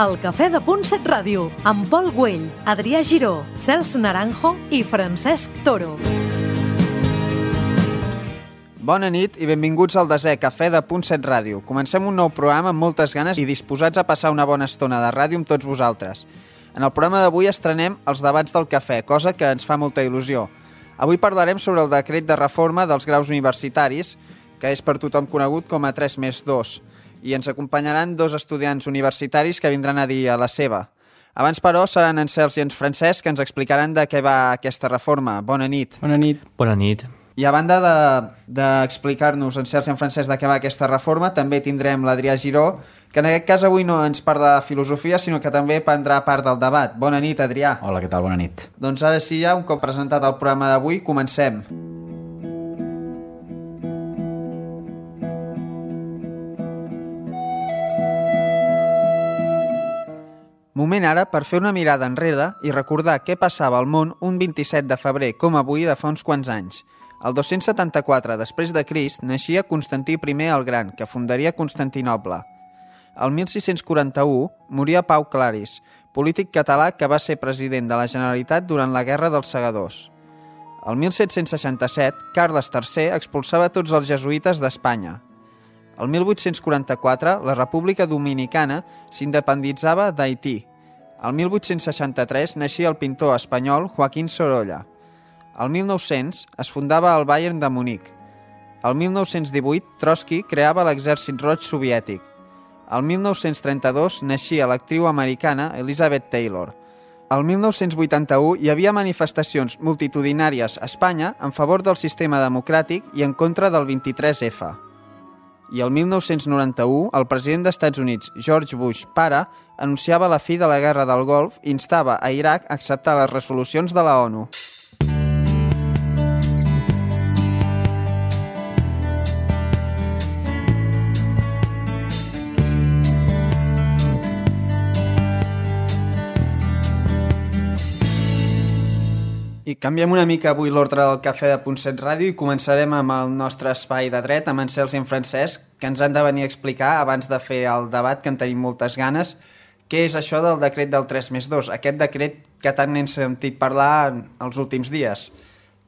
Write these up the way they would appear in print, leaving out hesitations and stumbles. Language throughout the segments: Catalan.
El Cafè de Punt 7 Ràdio, amb Pol Güell, Adrià Giró, Cels Naranjo i Francesc Toro. Bona nit i benvinguts al desè Cafè de Punt 7 Ràdio. Comencem un nou programa amb moltes ganes i disposats a passar una bona estona de ràdio amb tots vosaltres. En el programa d'avui estrenem els debats del cafè, cosa que ens fa molta il·lusió. Avui parlarem sobre el decret de reforma dels graus universitaris, que és per tothom conegut com a 3+2, i ens acompanyaran dos estudiants universitaris que vindran a dir a la seva. Abans, però, seran en Cels i en Francesc que ens explicaran de què va aquesta reforma. Bona nit. Bona nit. Bona nit. I a banda d'explicar-nos en Cels i en Francesc de què va aquesta reforma, també tindrem l'Adrià Giró, que en aquest cas avui no ens parla de filosofia, sinó que també prendrà part del debat. Bona nit, Adrià. Hola, què tal? Bona nit. Doncs ara sí, ja, un cop presentat el programa d'avui, comencem. Moment ara per fer una mirada enrere i recordar què passava al món un 27 de febrer, com avui, de fa uns quants anys. El 274 després de Crist naixia Constantí I el Gran, que fundaria Constantinoble. El 1641 moria Pau Claris, polític català que va ser president de la Generalitat durant la Guerra dels Segadors. El 1767, Carles III expulsava tots els jesuïtes d'Espanya. El 1844, la República Dominicana s'independitzava d'Haití. El 1863 naixia el pintor espanyol Joaquín Sorolla. El 1900 es fundava el Bayern de Munic. El 1918, Trotsky creava l'Exèrcit Roig Soviètic. El 1932 naixia l'actriu americana Elizabeth Taylor. El 1981 hi havia manifestacions multitudinàries a Espanya en favor del sistema democràtic i en contra del 23F. I el 1991, el president dels Estats Units, George Bush pare, anunciava la fi de la Guerra del Golf i instava a Iraq a acceptar les resolucions de la ONU. I canviem una mica avui l'ordre del Cafè de Punt 7 Ràdio i començarem amb el nostre espai de dret, amb en Cels i en Francesc, que ens han de venir a explicar, abans de fer el debat, que en tenim moltes ganes, què és això del decret del 3+2, aquest decret que tant n'hem sentit parlar els últims dies.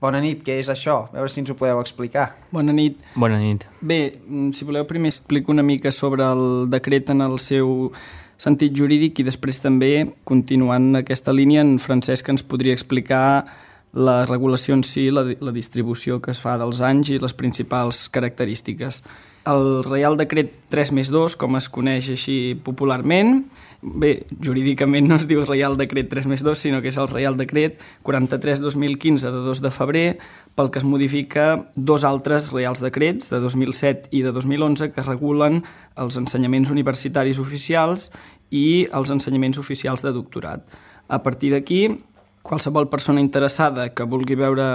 Bona nit, què és això? A veure si ens ho podeu explicar. Bona nit. Bona nit. Bé, si voleu, primer explico una mica sobre el decret en el seu sentit jurídic i després també, continuant aquesta línia, en Francesc ens podria explicar la regulació en si, la distribució que es fa dels anys i les principals característiques. El Reial Decret 3+2, com es coneix així popularment, bé, jurídicament no es diu Reial Decret 3+2, sinó que és el Reial Decret 43-2015 de 2 de febrer, pel que es modifica dos altres Reials Decrets, de 2007 i de 2011, que regulen els ensenyaments universitaris oficials i els ensenyaments oficials de doctorat. A partir d'aquí, qualsevol persona interessada que vulgui veure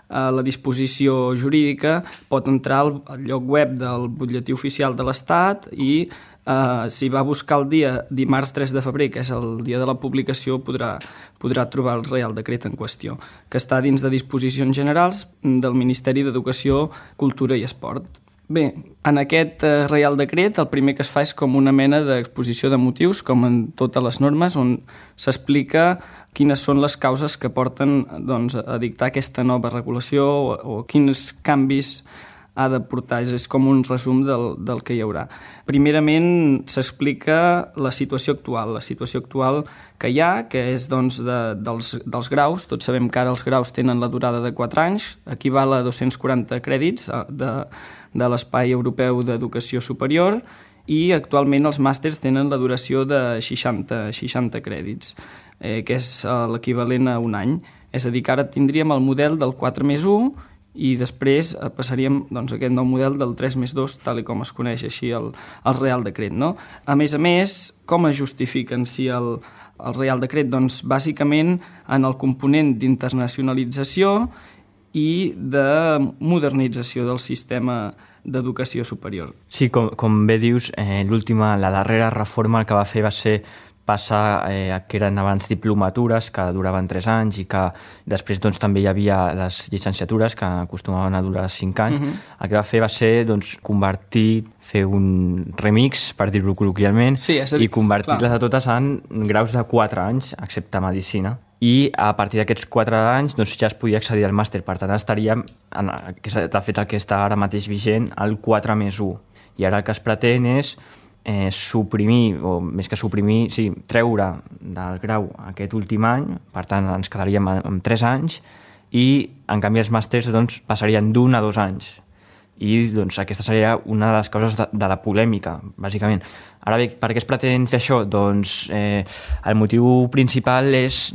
la disposició jurídica pot entrar al lloc web del Butlletí Oficial de l'Estat i si va buscar el dia dimarts 3 de febrer, que és el dia de la publicació, podrà trobar el Reial Decret en qüestió, que està dins de disposicions generals del Ministeri d'Educació, Cultura i Esport. Bé, en aquest Reial Decret el primer que es fa és com una mena d'exposició de motius, com en totes les normes, on s'explica quines són les causes que porten a dictar aquesta nova regulació o quins canvis ha de portar. És com un resum del que hi haurà. Primerament s'explica la situació actual que hi ha, que és dels graus. Tots sabem que ara els graus tenen la durada de 4 anys, equival a 240 crèdits de l'Espai Europeu d'Educació Superior, i actualment els màsters tenen la duració de 60 crèdits, que és l'equivalent a un any. És a dir, que ara tindríem el model del 4+1 i després passaríem a aquest nou model del 3+2, tal com es coneix així el Reial Decret. No? A més, com es justifiquen si el Reial Decret? Doncs bàsicament en el component d'internacionalització i de modernització del sistema d'educació superior. Sí, com bé dius, la darrera reforma el que va fer va ser passa que eren abans diplomatures que duraven 3 anys i que després doncs, també hi havia les llicenciatures que acostumaven a durar 5 anys. El que va fer va ser doncs, fer un remix, per dir-ho col·loquialment, i convertir-les a totes en graus de 4 anys, excepte medicina. I a partir d'aquests 4 anys doncs, ja es podia accedir al màster. Per tant, estaríem, de fet, el que està ara mateix vigent, el 4+1. I ara el que es pretén és suprimir, o més que suprimir, treure del grau aquest últim any, per tant ens quedaríem amb 3 anys, i en canvi els màsters doncs, passarien d'1 a 2 anys. I doncs, aquesta seria una de les causes de la polèmica, bàsicament. Ara bé, per què es pretén fer això? Doncs el motiu principal és,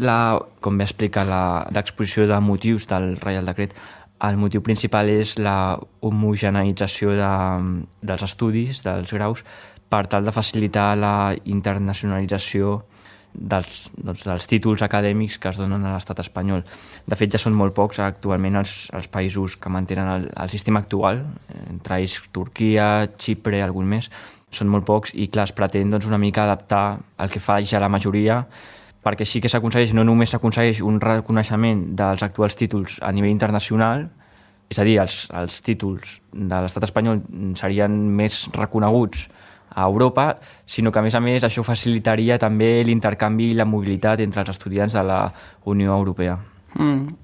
com bé explica l'exposició de motius del Reial Decret, el motiu principal és la homogeneïtzació dels estudis, dels graus, per tal de facilitar la internacionalització dels títols acadèmics que es donen a l'estat espanyol. De fet, ja són molt pocs actualment els països que mantenen el sistema actual, entre ells Turquia, Xipre, algun més. Són molt pocs i, clar, es pretén una mica adaptar el que fa ja la majoria, perquè sí que s'aconsegueix, no només s'aconsegueix un reconeixement dels actuals títols a nivell internacional, és a dir, els títols de l'estat espanyol serien més reconeguts a Europa, sinó que, a més, això facilitaria també l'intercanvi i la mobilitat entre els estudiants de la Unió Europea.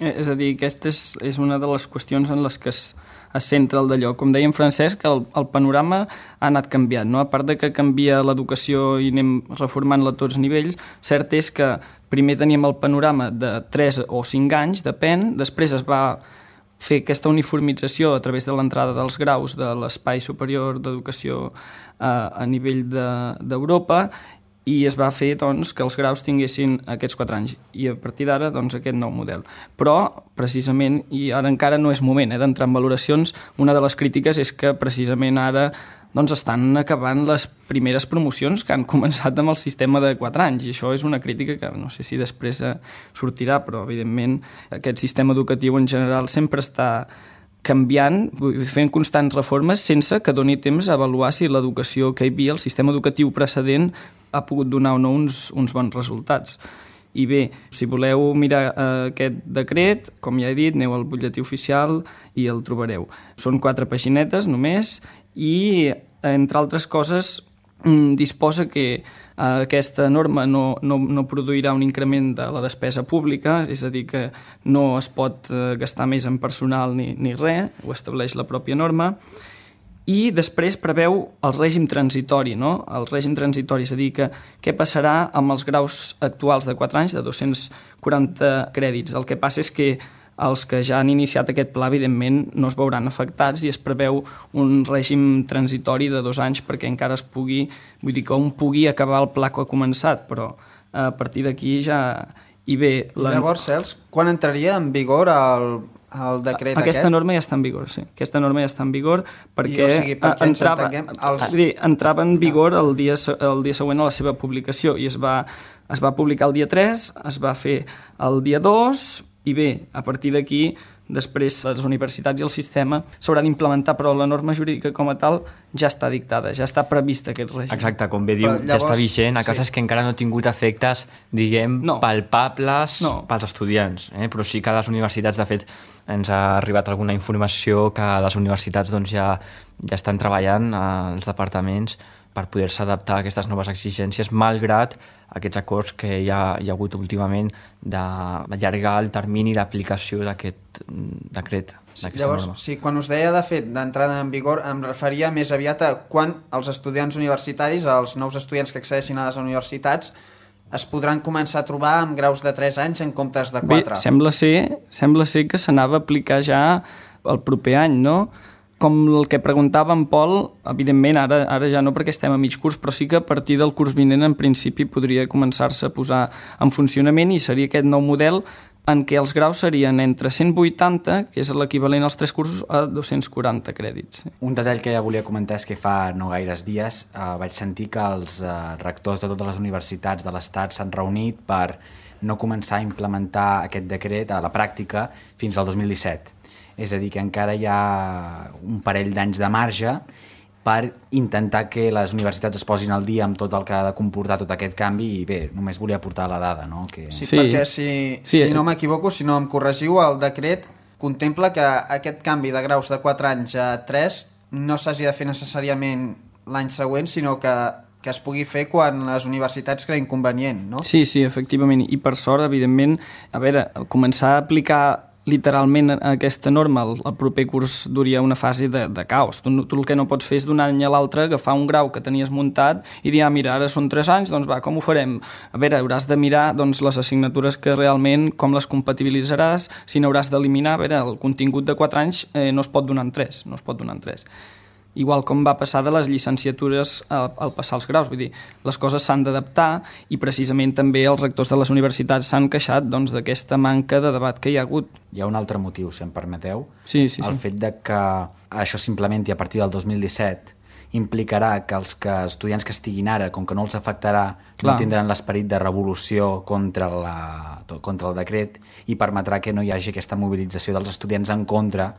És a dir, aquesta és una de les qüestions en les que es centra el d'allò. Com deia en Francesc, el panorama ha anat canviant, no? A part de que canvia l'educació i anem reformant-la a tots nivells, cert és que primer teníem el panorama de 3 o 5 anys, depèn, després es va fer aquesta uniformització a través de l'entrada dels graus de l'Espai Superior d'Educació a nivell d'Europa i es va fer doncs, que els graus tinguessin aquests 4 anys i a partir d'ara doncs, aquest nou model. Però, precisament, i ara encara no és moment d'entrar en valoracions, una de les crítiques és que precisament ara doncs, estan acabant les primeres promocions que han començat amb el sistema de 4 anys i això és una crítica que no sé si després sortirà, però evidentment aquest sistema educatiu en general sempre està canviant, fent constants reformes sense que doni temps a avaluar si l'educació que hi havia, el sistema educatiu precedent, ha pogut donar o no uns bons resultats. I bé, si voleu mirar aquest decret, com ja he dit, aneu al butlletí oficial i el trobareu. Són 4 paginetes només i, entre altres coses, disposa que aquesta norma no produirà un increment de la despesa pública, és a dir, que no es pot gastar més en personal ni res, ho estableix la pròpia norma, i després preveu el règim transitori, no? El règim transitori, és a dir, que què passarà amb els graus actuals de 4 anys, de 240 crèdits. El que passa és que els que ja han iniciat aquest pla, evidentment, no es veuran afectats i es preveu un règim transitori de 2 anys perquè encara es pugui, vull dir que un pugui acabar el pla que ha començat, però a partir d'aquí ja... I bé, llavors, Cels, quan entraria en vigor el decret aquest? Aquesta norma ja està en vigor, sí. Aquesta norma ja està en vigor perquè entrava en vigor el dia següent a la seva publicació i es va publicar el dia 3, es va fer el dia 2 i bé, a partir d'aquí després les universitats i el sistema s'haurà d'implementar, però la norma jurídica com a tal ja està dictada, ja està prevista aquest règim. Exacte, com bé diu, llavors, ja està vigent, a causa que encara no ha tingut efectes, diguem, palpables pels estudiants, però sí que a les universitats, de fet, ens ha arribat alguna informació que les universitats doncs, ja estan treballant als departaments per poder-se adaptar a aquestes noves exigències, malgrat aquests acords que hi ha hagut últimament d'allargar el termini d'aplicació d'aquest decret. Llavors, quan us deia, de fet, d'entrada en vigor, em referia més aviat a quan els estudiants universitaris, els nous estudiants que accedeixin a les universitats, es podran començar a trobar amb graus de 3 anys en comptes de 4. Bé, sembla ser que s'anava a aplicar ja el proper any, no? Com el que preguntava en Pol, evidentment ara ja no perquè estem a mig curs, però sí que a partir del curs vinent en principi podria començar-se a posar en funcionament i seria aquest nou model en què els graus serien entre 180, que és l'equivalent als 3 cursos, a 240 crèdits. Un detall que ja volia comentar és que fa no gaires dies vaig sentir que els rectors de totes les universitats de l'Estat s'han reunit per no començar a implementar aquest decret a la pràctica fins al 2017. És a dir, que encara hi ha un parell d'anys de marge per intentar que les universitats es posin al dia amb tot el que ha de comportar tot aquest canvi i bé, només volia aportar la dada, no? Que... Sí, perquè si no m'equivoco, si no em corregiu, el decret contempla que aquest canvi de graus de 4 anys a 3 no s'hagi de fer necessàriament l'any següent, sinó que es pugui fer quan les universitats creïn convenient, no? Sí, efectivament, i per sort, evidentment, a veure, començar a aplicar literalment aquesta norma el proper curs duria una fase de caos. Tu el que no pots fer és d'un any a l'altre agafar un grau que tenies muntat i dir, mira, ara són 3 anys, doncs va, com ho farem? A veure, hauràs de mirar doncs, les assignatures que realment, com les compatibilitzaràs, si n'hauràs d'eliminar, a veure, el contingut de 4 anys no es pot donar en 3, Igual com va passar de les llicenciatures al passar els graus, vull dir, les coses s'han d'adaptar i precisament també els rectors de les universitats s'han queixat doncs, d'aquesta manca de debat que hi ha hagut. Hi ha un altre motiu, si em permeteu. Sí. El fet de que això s'implementi a partir del 2017 implicarà que els estudiants que estiguin ara, com que no els afectarà, no tindran l'esperit de revolució contra el decret i permetrà que no hi hagi aquesta mobilització dels estudiants en contra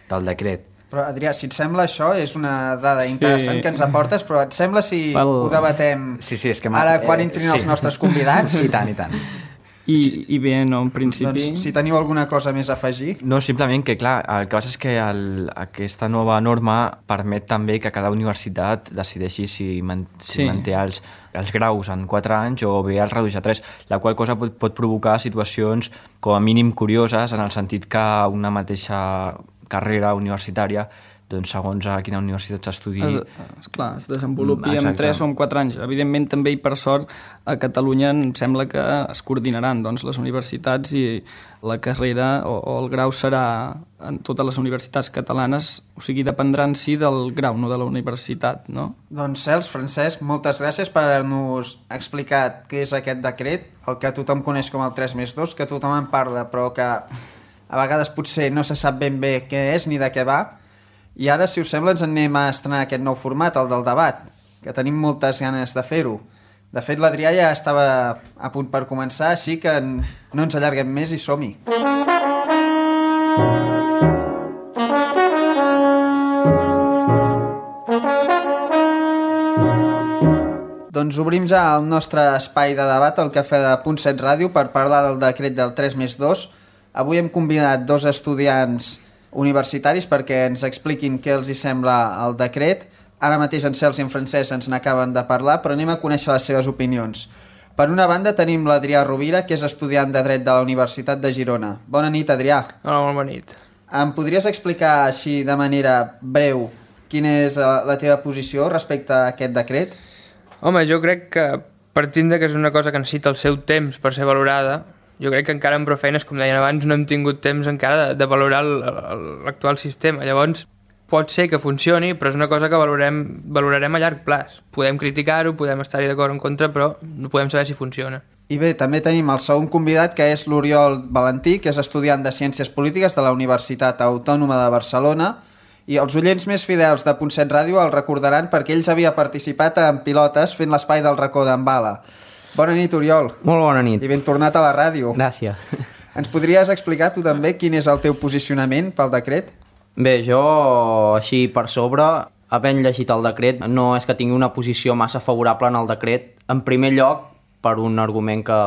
del decret. Però, Adrià, si et sembla això, és una dada interessant que ens aportes, però et sembla si ho debatem és que ara quan entrin els nostres convidats? I tant. I bé, no, en principi... Doncs, si teniu alguna cosa més a afegir... No, simplement que, clar, el que passa és que aquesta nova norma permet també que cada universitat decideixi si manté els graus en 4 anys o bé els redueix a 3, la qual cosa pot provocar situacions com a mínim curioses en el sentit que una mateixa carrera universitària, doncs segons a quina universitat s'estudi... Es desenvolupi en 3 o en 4 anys. Evidentment també i per sort a Catalunya em sembla que es coordinaran doncs, les universitats i la carrera o el grau serà en totes les universitats catalanes, o sigui, dependrà en si del grau, no de la universitat, no? Doncs Cels, Francesc, moltes gràcies per haver-nos explicat què és aquest decret, el que tothom coneix com el 3+2, que tothom en parla però que a vegades potser no se sap ben bé què és ni de què va. I ara, si us sembla, ens anem a estrenar aquest nou format, el del debat, que tenim moltes ganes de fer-ho. De fet, l'Adrià ja estava a punt per començar, així que no ens allarguem més i som-hi. Doncs obrim ja el nostre espai de debat al Cafè de Punt 7 Ràdio per parlar del decret del 3+2. Avui hem convidat 2 estudiants universitaris perquè ens expliquin què els hi sembla el decret. Ara mateix en Cels i en Francesc ens n'acaben de parlar, però anem a conèixer les seves opinions. Per una banda tenim l'Adrià Rovira, que és estudiant de Dret de la Universitat de Girona. Bona nit, Adrià. Hola, molt bona nit. Em podries explicar així de manera breu quina és la teva posició respecte a aquest decret? Home, jo crec que partint que és una cosa que necessita el seu temps per ser valorada, jo crec que encara amb prou feines, com deien abans, no hem tingut temps encara de valorar l'actual sistema. Llavors, pot ser que funcioni, però és una cosa que valorarem a llarg plaç. Podem criticar-ho, podem estar-hi d'acord o en contra, però no podem saber si funciona. I bé, també tenim el segon convidat, que és l'Oriol Valentí, que és estudiant de Ciències Polítiques de la Universitat Autònoma de Barcelona, i els oients més fidels de Punt 7 Ràdio el recordaran perquè ells havia participat en Pilotes fent l'espai del racó d'en Bala. Bona nit, Oriol. Molt bona nit. I ben tornat a la ràdio. Gràcies. Ens podries explicar tu també quin és el teu posicionament pel decret? Bé, jo, així per sobre, havent llegit el decret, no és que tingui una posició massa favorable en el decret. En primer lloc, per un argument que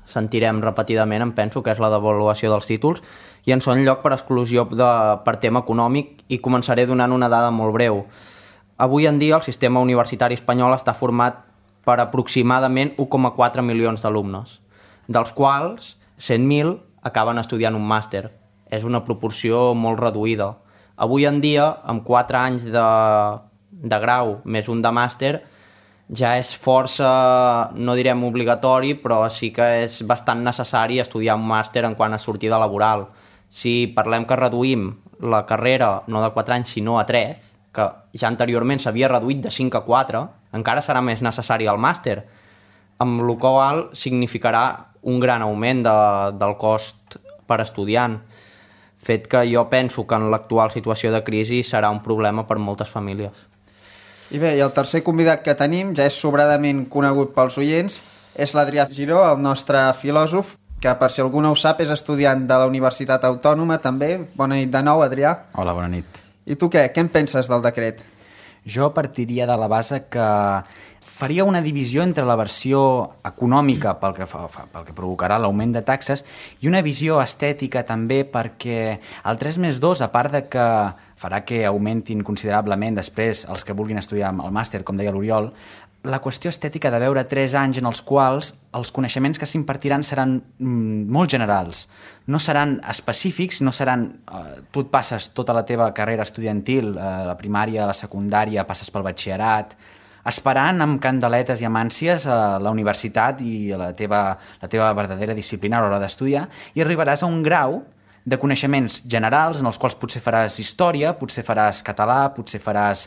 sentirem repetidament, em penso, que és la devaluació dels títols, i en segon lloc per exclusió per tema econòmic, i començaré donant una dada molt breu. Avui en dia el sistema universitari espanyol està format per aproximadament 1,4 milions d'alumnes, dels quals 100.000 acaben estudiant un màster. És una proporció molt reduïda. Avui en dia, amb 4 anys de grau més un de màster, ja és força, no direm obligatori, però sí que és bastant necessari estudiar un màster en quant a sortida laboral. Si parlem que reduïm la carrera no de 4 anys sinó a 3, que ja anteriorment s'havia reduït de 5 a 4, encara serà més necessari el màster, amb el qual significarà un gran augment del cost per estudiant, fet que jo penso que en l'actual situació de crisi serà un problema per moltes famílies. I bé, i el tercer convidat que tenim, ja és sobradament conegut pels oients, és l'Adrià Giró, el nostre filòsof, que per si algú no ho sap és estudiant de la Universitat Autònoma també. Bona nit de nou, Adrià. Hola, bona nit. I tu què en penses del decret? Jo partiria de la base que faria una divisió entre la versió econòmica pel que provocarà l'augment de taxes i una visió estètica també, perquè el 3+2, a part de que farà que augmentin considerablement després els que vulguin estudiar el màster, com deia l'Oriol, la qüestió estètica de veure 3 anys en els quals els coneixements que s'impartiran seran molt generals, no seran específics, no seran... tu et passes tota la teva carrera estudiantil, la primària, la secundària, passes pel batxillerat, esperant amb candeletes i amb ànsies a la universitat i a la teva verdadera disciplina a l'hora d'estudiar, i arribaràs a un grau de coneixements generals en els quals potser faràs història, potser faràs català, potser faràs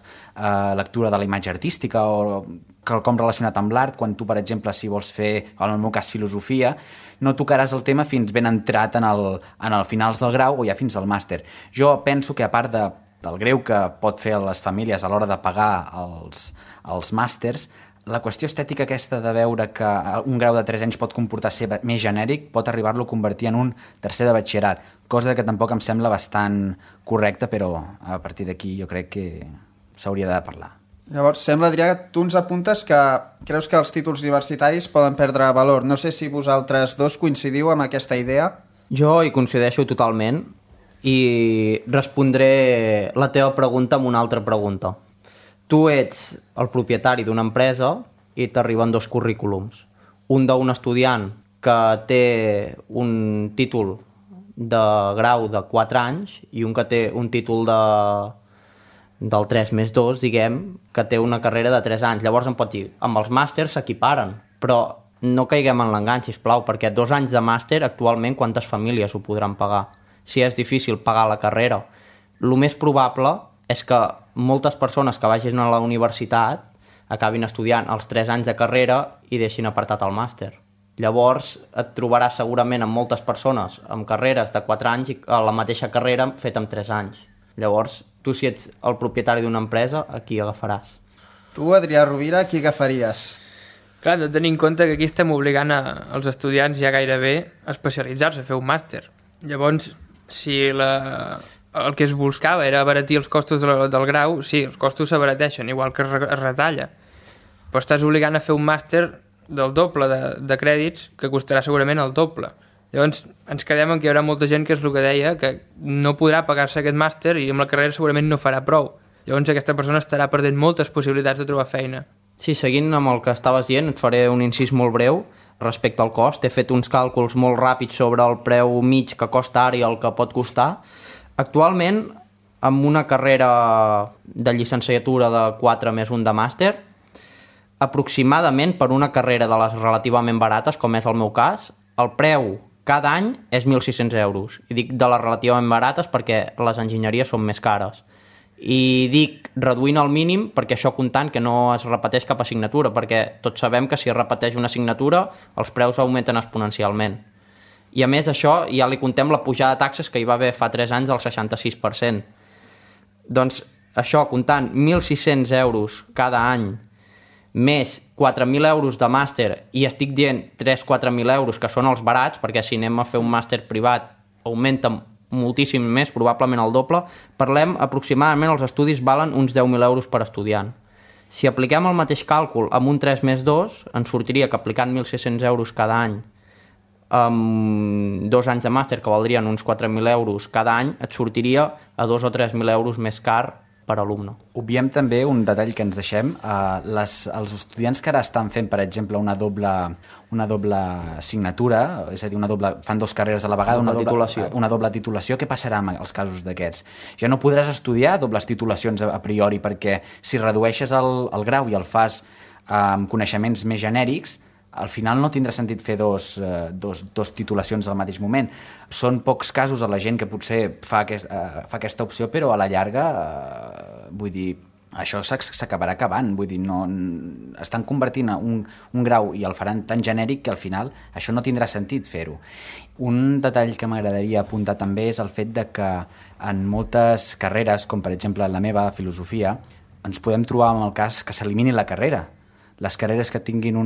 lectura de la imatge artística o quelcom relacionat amb l'art, quan tu, per exemple, si vols fer, en el meu cas, filosofia, no tocaràs el tema fins ben entrat en el finals del grau o ja fins al màster. Jo penso que, a part del greu que pot fer a les famílies a l'hora de pagar els màsters, la qüestió estètica aquesta de veure que un grau de 3 anys pot comportar ser més genèric pot arribar-lo a convertir en un tercer de batxillerat, cosa que tampoc em sembla bastant correcta, però a partir d'aquí jo crec que s'hauria de parlar. Llavors, sembla, Adrià, que tu ens apuntes que creus que els títols universitaris poden perdre valor. No sé si vosaltres dos coincidiu amb aquesta idea. Jo hi coincideixo totalment i respondré la teva pregunta amb una altra pregunta. Tu ets el propietari d'una empresa i t'arriben 2 currículums. Un d'un estudiant que té un títol de grau de 4 anys i un que té un títol del 3+2, diguem, que té una carrera de 3 anys. Llavors em pot dir, amb els màsters s'equiparen, però no caiguem en l'engany, sisplau, perquè 2 anys de màster actualment quantes famílies ho podran pagar? Si és difícil pagar la carrera. El més probable és que moltes persones que vagin a la universitat acabin estudiant els 3 anys de carrera i deixin apartat el màster. Llavors et trobaràs segurament amb moltes persones amb carreres de 4 anys i a la mateixa carrera feta en 3 anys. Llavors, tu si ets el propietari d'una empresa, a qui agafaràs? Tu, Adrià Rovira, qui agafaries? Clar, hem de tenir en compte que aquí estem obligant als estudiants ja gairebé a especialitzar-se, a fer un màster. Llavors, si el que es buscava era abaratir els costos del grau, sí, els costos s'abarateixen, igual que es retalla. Però estàs obligant a fer un màster del doble de crèdits, que costarà segurament el doble. Llavors ens quedem en que hi haurà molta gent, que és el que deia, que no podrà pagar-se aquest màster i amb la carrera segurament no farà prou. Llavors aquesta persona estarà perdent moltes possibilitats de trobar feina. Sí, seguint amb el que estaves dient, et faré un incís molt breu respecte al cost. He fet uns càlculs molt ràpids sobre el preu mig que costa ara i el que pot costar. Actualment, amb una carrera de llicenciatura de 4+1 de màster, aproximadament per una carrera de les relativament barates, com és el meu cas, el preu cada any és 1.600 euros. I dic de les relativament barates perquè les enginyeries són més cares. I dic reduint el mínim perquè això comptant que no es repeteix cap assignatura, perquè tots sabem que si es repeteix una assignatura els preus augmenten exponencialment. I a més això ja li contem la pujada de taxes que hi va haver fa 3 anys del 66%. Doncs això, comptant 1.600 euros cada any, més 4.000 euros de màster, i estic dient 3-4.000 euros, que són els barats, perquè si anem a fer un màster privat augmenta moltíssim més, probablement el doble, parlem aproximadament els estudis valen uns 10.000 euros per estudiant. Si apliquem el mateix càlcul amb un 3+2, ens sortiria que aplicant 1.600 euros cada any amb 2 anys de màster, que valdrien uns 4.000 euros cada any, et sortiria a 2 o 3.000 euros més car per alumne. Obviem també un detall que ens deixem. Els estudiants que ara estan fent, per exemple, una doble assignatura, és a dir, fan 2 carreres a la vegada, una doble titulació, què passarà en els casos d'aquests? Ja no podràs estudiar dobles titulacions a priori, perquè si redueixes el grau i el fas amb coneixements més genèrics, al final no tindrà sentit fer dos titulacions al mateix moment. Són pocs casos a la gent que potser fa aquesta opció, però a la llarga, vull dir, això s'acabarà acabant. Vull dir, no, estan convertint un grau i el faran tan genèric que al final això no tindrà sentit fer-ho. Un detall que m'agradaria apuntar també és el fet de que en moltes carreres, com per exemple la meva, filosofia, ens podem trobar amb el cas que s'elimini la carrera. Les carreres que tinguin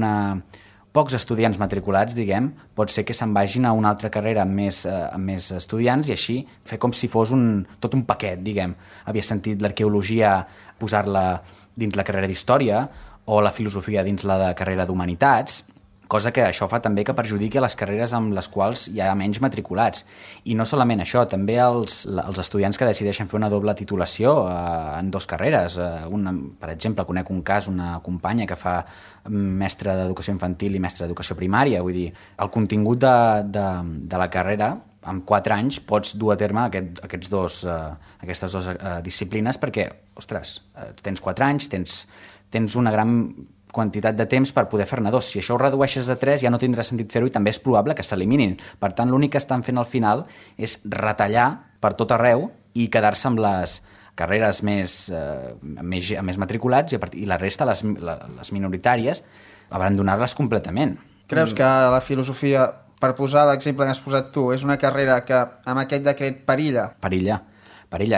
pocs estudiants matriculats, diguem, pot ser que se'n vagin a una altra carrera amb més estudiants i així fer com si fos tot un paquet, diguem. Havia sentit l'arqueologia posar-la dins la carrera d'Història o la filosofia dins la de carrera d'Humanitats, cosa que això fa també que perjudiqui les carreres amb les quals hi ha menys matriculats. I no solament això, també els estudiants que decideixen fer una doble titulació en 2 carreres. Per exemple, conec un cas, una companya que fa mestre d'educació infantil i mestre d'educació primària. Vull dir, el contingut de la carrera, en 4 anys, pots dur a terme aquestes dues disciplines perquè, ostres, tens 4 anys, tens una gran quantitat de temps per poder fer-ne 2. Si això ho redueixes a 3 ja no tindrà sentit fer-ho i també és probable que s'eliminin. Per tant, l'únic que estan fent al final és retallar per tot arreu i quedar-se amb les carreres més matriculats i la resta, les minoritàries, abandonar-les completament. Creus que la filosofia, per posar l'exemple que has posat tu, és una carrera que amb aquest decret perilla? Perilla.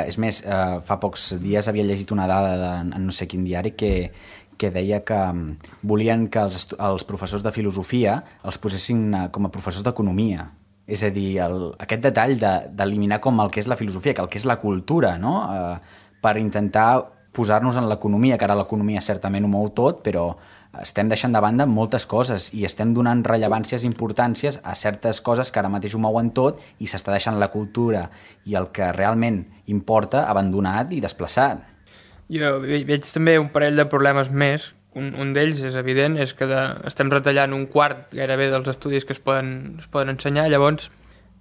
És més, fa pocs dies havia llegit una dada en no sé quin diari que deia que volien que els professors de filosofia els posessin com a professors d'economia. És a dir, aquest detall d'eliminar com el que és la filosofia, que el que és la cultura, no? Per intentar posar-nos en l'economia, que ara l'economia certament ho mou tot, però estem deixant de banda moltes coses i estem donant rellevàncies i importàncies a certes coses que ara mateix ho mouen tot i s'està deixant la cultura i el que realment importa abandonat i desplaçat. Jo veig també un parell de problemes més. Un d'ells és evident, és que estem retallant un quart gairebé dels estudis que es poden ensenyar. Llavors,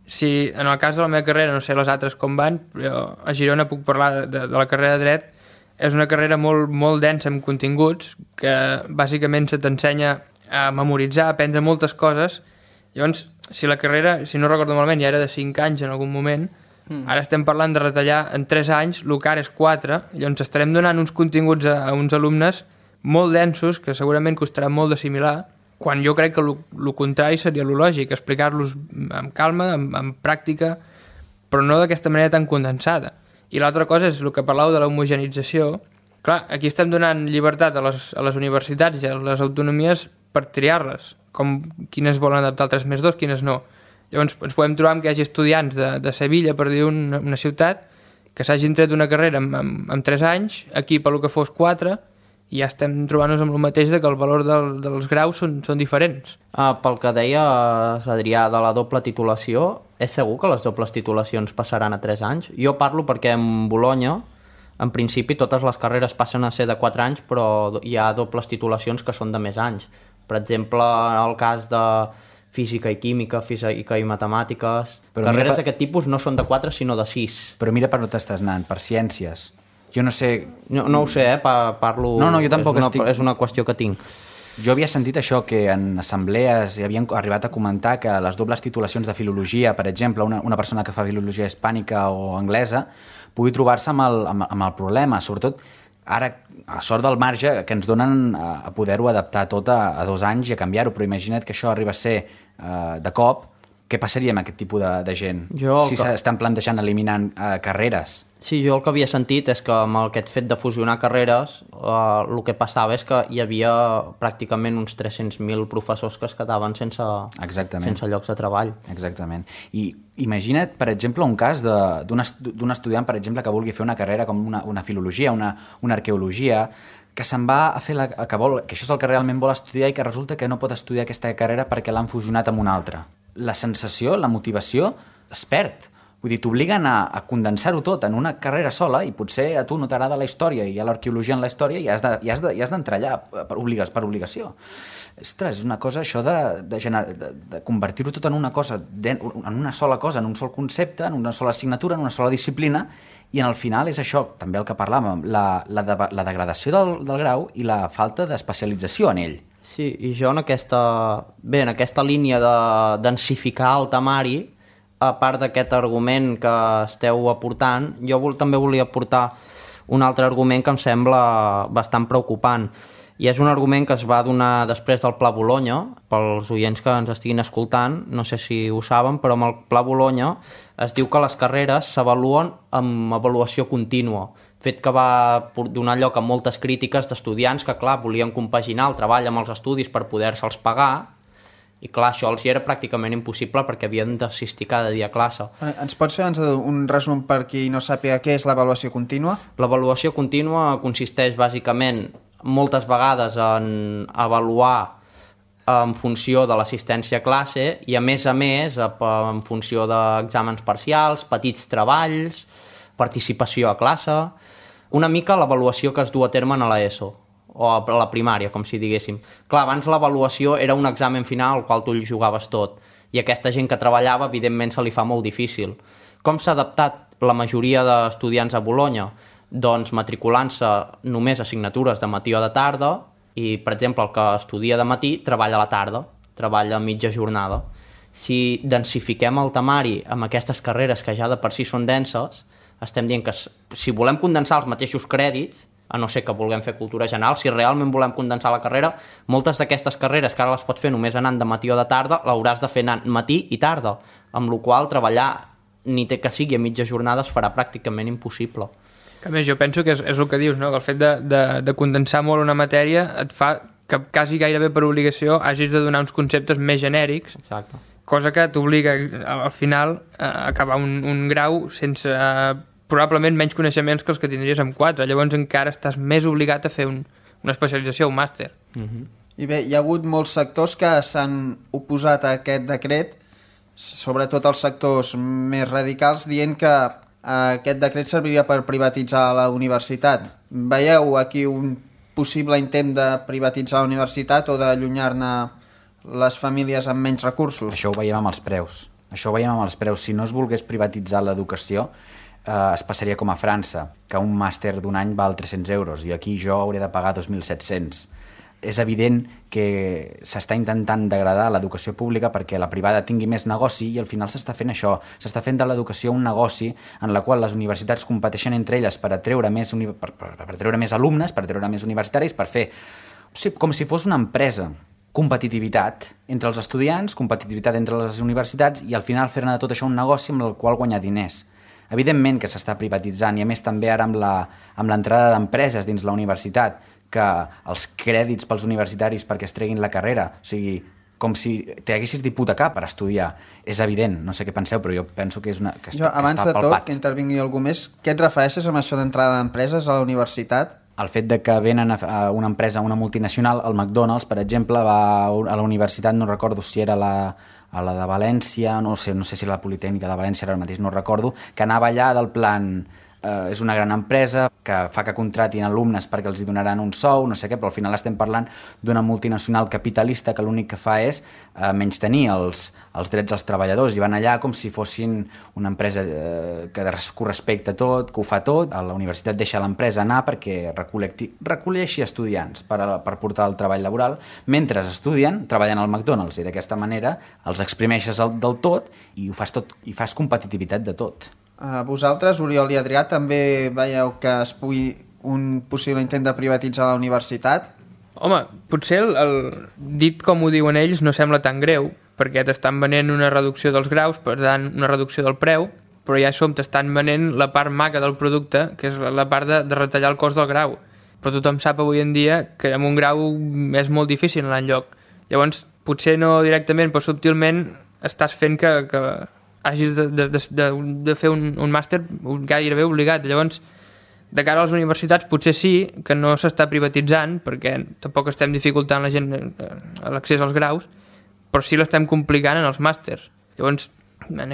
si en el cas de la meva carrera, no sé les altres com van, però a Girona puc parlar de la carrera de Dret, és una carrera molt, molt densa amb continguts que bàsicament se t'ensenya a memoritzar, a aprendre moltes coses. Llavors, si la carrera, si no recordo malament, ja era de 5 anys en algun moment, ara estem parlant de retallar en 3 anys, el que ara és 4, llavors estarem donant uns continguts a uns alumnes molt densos que segurament costarà molt d'assimilar, quan jo crec que el contrari seria el lògic, explicar-los amb calma, amb pràctica, però no d'aquesta manera tan condensada. I l'altra cosa és el que parlàveu de l'homogenització. Clar, aquí estem donant llibertat a les universitats i a les autonomies per triar-les, com quines volen adaptar el 3+2, quines no. Llavors ens podem trobar que hi hagi estudiants de Sevilla, per dir una ciutat, que s'hagin tret una carrera en 3 anys, aquí pel que fos 4, i ja estem trobant-nos amb el mateix que el valor dels graus són diferents. Pel que deia Adrià de la doble titulació, és segur que les dobles titulacions passaran a 3 anys? Jo parlo perquè en Bolonya, en principi, totes les carreres passen a ser de 4 anys, però hi ha dobles titulacions que són de més anys. Per exemple, en el cas de física i química, física i matemàtiques... Però carreres d'aquest tipus no són de 4, sinó de 6. Però mira per on t'estàs anant, per ciències. Jo no sé... No ho sé, parlo... No, jo tampoc estic... És una qüestió que tinc. Jo havia sentit això, que en assemblees havien arribat a comentar que les dobles titulacions de filologia, per exemple, una persona que fa filologia hispànica o anglesa, pugui trobar-se amb el problema, sobretot ara, a sort del marge que ens donen a poder-ho adaptar tot a 2 anys i a canviar-ho, però imagina't que això arriba a ser de cop, què passaria amb aquest tipus de gent? Si s'estan plantejant eliminant carreres. Sí, jo el que havia sentit és que amb aquest fet de fusionar carreres el que passava és que hi havia pràcticament uns 300.000 professors que es quedaven sense llocs de treball. Exactament. I imagina't, per exemple, un cas d'un estudiant, per exemple, que vulgui fer una carrera com una filologia, una arqueologia, que se'n va a fer que això és el que realment vol estudiar i que resulta que no pot estudiar aquesta carrera perquè l'han fusionat amb una altra. La sensació, la motivació, es perd. Vull dir, t'obliguen a condensar-ho tot en una carrera sola i potser a tu no t'agrada la història i a l'arqueologia en la història i has d'entrar allà per obligació. Ostres, és una cosa això de convertir-ho tot en una cosa, en una sola cosa, en un sol concepte, en una sola assignatura, en una sola disciplina, i en el final és això, també el que parlàvem, la degradació del grau i la falta d'especialització en ell. Sí, i jo en aquesta línia de densificar el temari, a part d'aquest argument que esteu aportant, jo també volia aportar un altre argument que em sembla bastant preocupant. I és un argument que es va donar després del Pla Bolonya, pels oients que ens estiguin escoltant, no sé si ho saben, però amb el Pla Bolonya es diu que les carreres s'avaluen amb avaluació contínua, fet que va donar lloc a moltes crítiques d'estudiants que, clar, volien compaginar el treball amb els estudis per poder-se'ls pagar, I clar, això els hi era pràcticament impossible perquè havien d'assistir cada dia a classe. Ens pots fer un resum per qui no sàpiga què és l'avaluació contínua? L'avaluació contínua consisteix bàsicament moltes vegades en avaluar en funció de l'assistència a classe i a més en funció d'exàmens parcials, petits treballs, participació a classe, una mica l'avaluació que es du a terme a l'ESO o a la primària, com si diguéssim. Clar, abans l'avaluació era un examen final al qual tu hi jugaves tot i aquesta gent que treballava, evidentment, se li fa molt difícil. Com s'ha adaptat la majoria d'estudiants a Bolonya? Doncs matriculant-se només assignatures de matí o de tarda i, per exemple, el que estudia de matí treballa a la tarda, treballa a mitja jornada. Si densifiquem el temari amb aquestes carreres que ja de per si són denses, estem dient que si volem condensar els mateixos crèdits, a no ser que vulguem fer cultura general, si realment volem condensar la carrera, moltes d'aquestes carreres que ara les pots fer només anant de matí o de tarda, l'hauràs de fer anant matí i tarda, amb la qual treballar, ni té que sigui a mitja jornada, es farà pràcticament impossible. Que més, jo penso que és el que dius, no? Que el fet de condensar molt una matèria et fa que quasi gairebé per obligació hagis de donar uns conceptes més genèrics. Exacte. Cosa que t'obliga al final a acabar un grau sense probablement menys coneixements que els que tindries amb 4. Llavors encara estàs més obligat a fer una especialització, un màster. I bé, hi ha hagut molts sectors que s'han oposat a aquest decret, sobretot els sectors més radicals, dient que aquest decret serviria per privatitzar la universitat. Veieu aquí un possible intent de privatitzar la universitat o d'allunyar-ne les famílies amb menys recursos? Això ho veiem amb els preus. Si no es volgués privatitzar l'educació, es passaria com a França, que un màster d'un any val 300 euros i aquí jo hauré de pagar 2.700. És evident que s'està intentant degradar l'educació pública perquè la privada tingui més negoci i al final s'està fent això. S'està fent de l'educació un negoci en la qual les universitats competeixen entre elles per treure més alumnes, per treure més universitaris, per fer com si fos una empresa. Competitivitat entre els estudiants, competitivitat entre les universitats i al final fer-ne de tot això un negoci amb el qual guanyar diners. Evidentment que s'està privatitzant i a més també ara amb l'entrada d'empreses dins la universitat, que els crèdits pels universitaris perquè es treguin la carrera, o sigui, com si t'haguessis d'hipotecar per estudiar. És evident, no sé què penseu, però jo penso que és que està abans de palpat. tot, que intervingui algú més, què et refereixes amb això d'entrada d'empreses a la universitat? El fet de que venen a una empresa, una multinacional, el McDonald's, per exemple, va a la universitat, no recordo si era a la de València, no sé si la Politècnica de València ara mateix, no recordo, que anava allà del plan és una gran empresa que fa que contratin alumnes perquè els hi donaran un sou, no sé què, però al final estem parlant d'una multinacional capitalista que l'únic que fa és menystenir els drets dels treballadors i van allà com si fossin una empresa que ho respecta tot, que ho fa tot. A la universitat deixa l'empresa anar perquè recolleixi estudiants per portar el treball laboral mentre estudien, treballant al McDonald's i d'aquesta manera els exprimeixes del tot i ho fas tot i fas competitivitat de tot. Vosaltres, Oriol i Adrià, també veieu que es pugui un possible intent de privatitzar la universitat? Home, potser dit com ho diuen ells no sembla tan greu, perquè t'estan venent una reducció dels graus, per tant, una reducció del preu, però ja t'estan venent la part maca del producte, que és la part de retallar el cost del grau. Però tothom sap avui en dia que amb un grau és molt difícil anar enlloc. Llavors, potser no directament, però subtilment estàs fent que hagis de fer un màster gairebé obligat. Llavors, de cara a les universitats, potser sí que no s'està privatitzant, perquè tampoc estem dificultant la gent l'accés als graus, però sí l'estem complicant en els màsters. Llavors,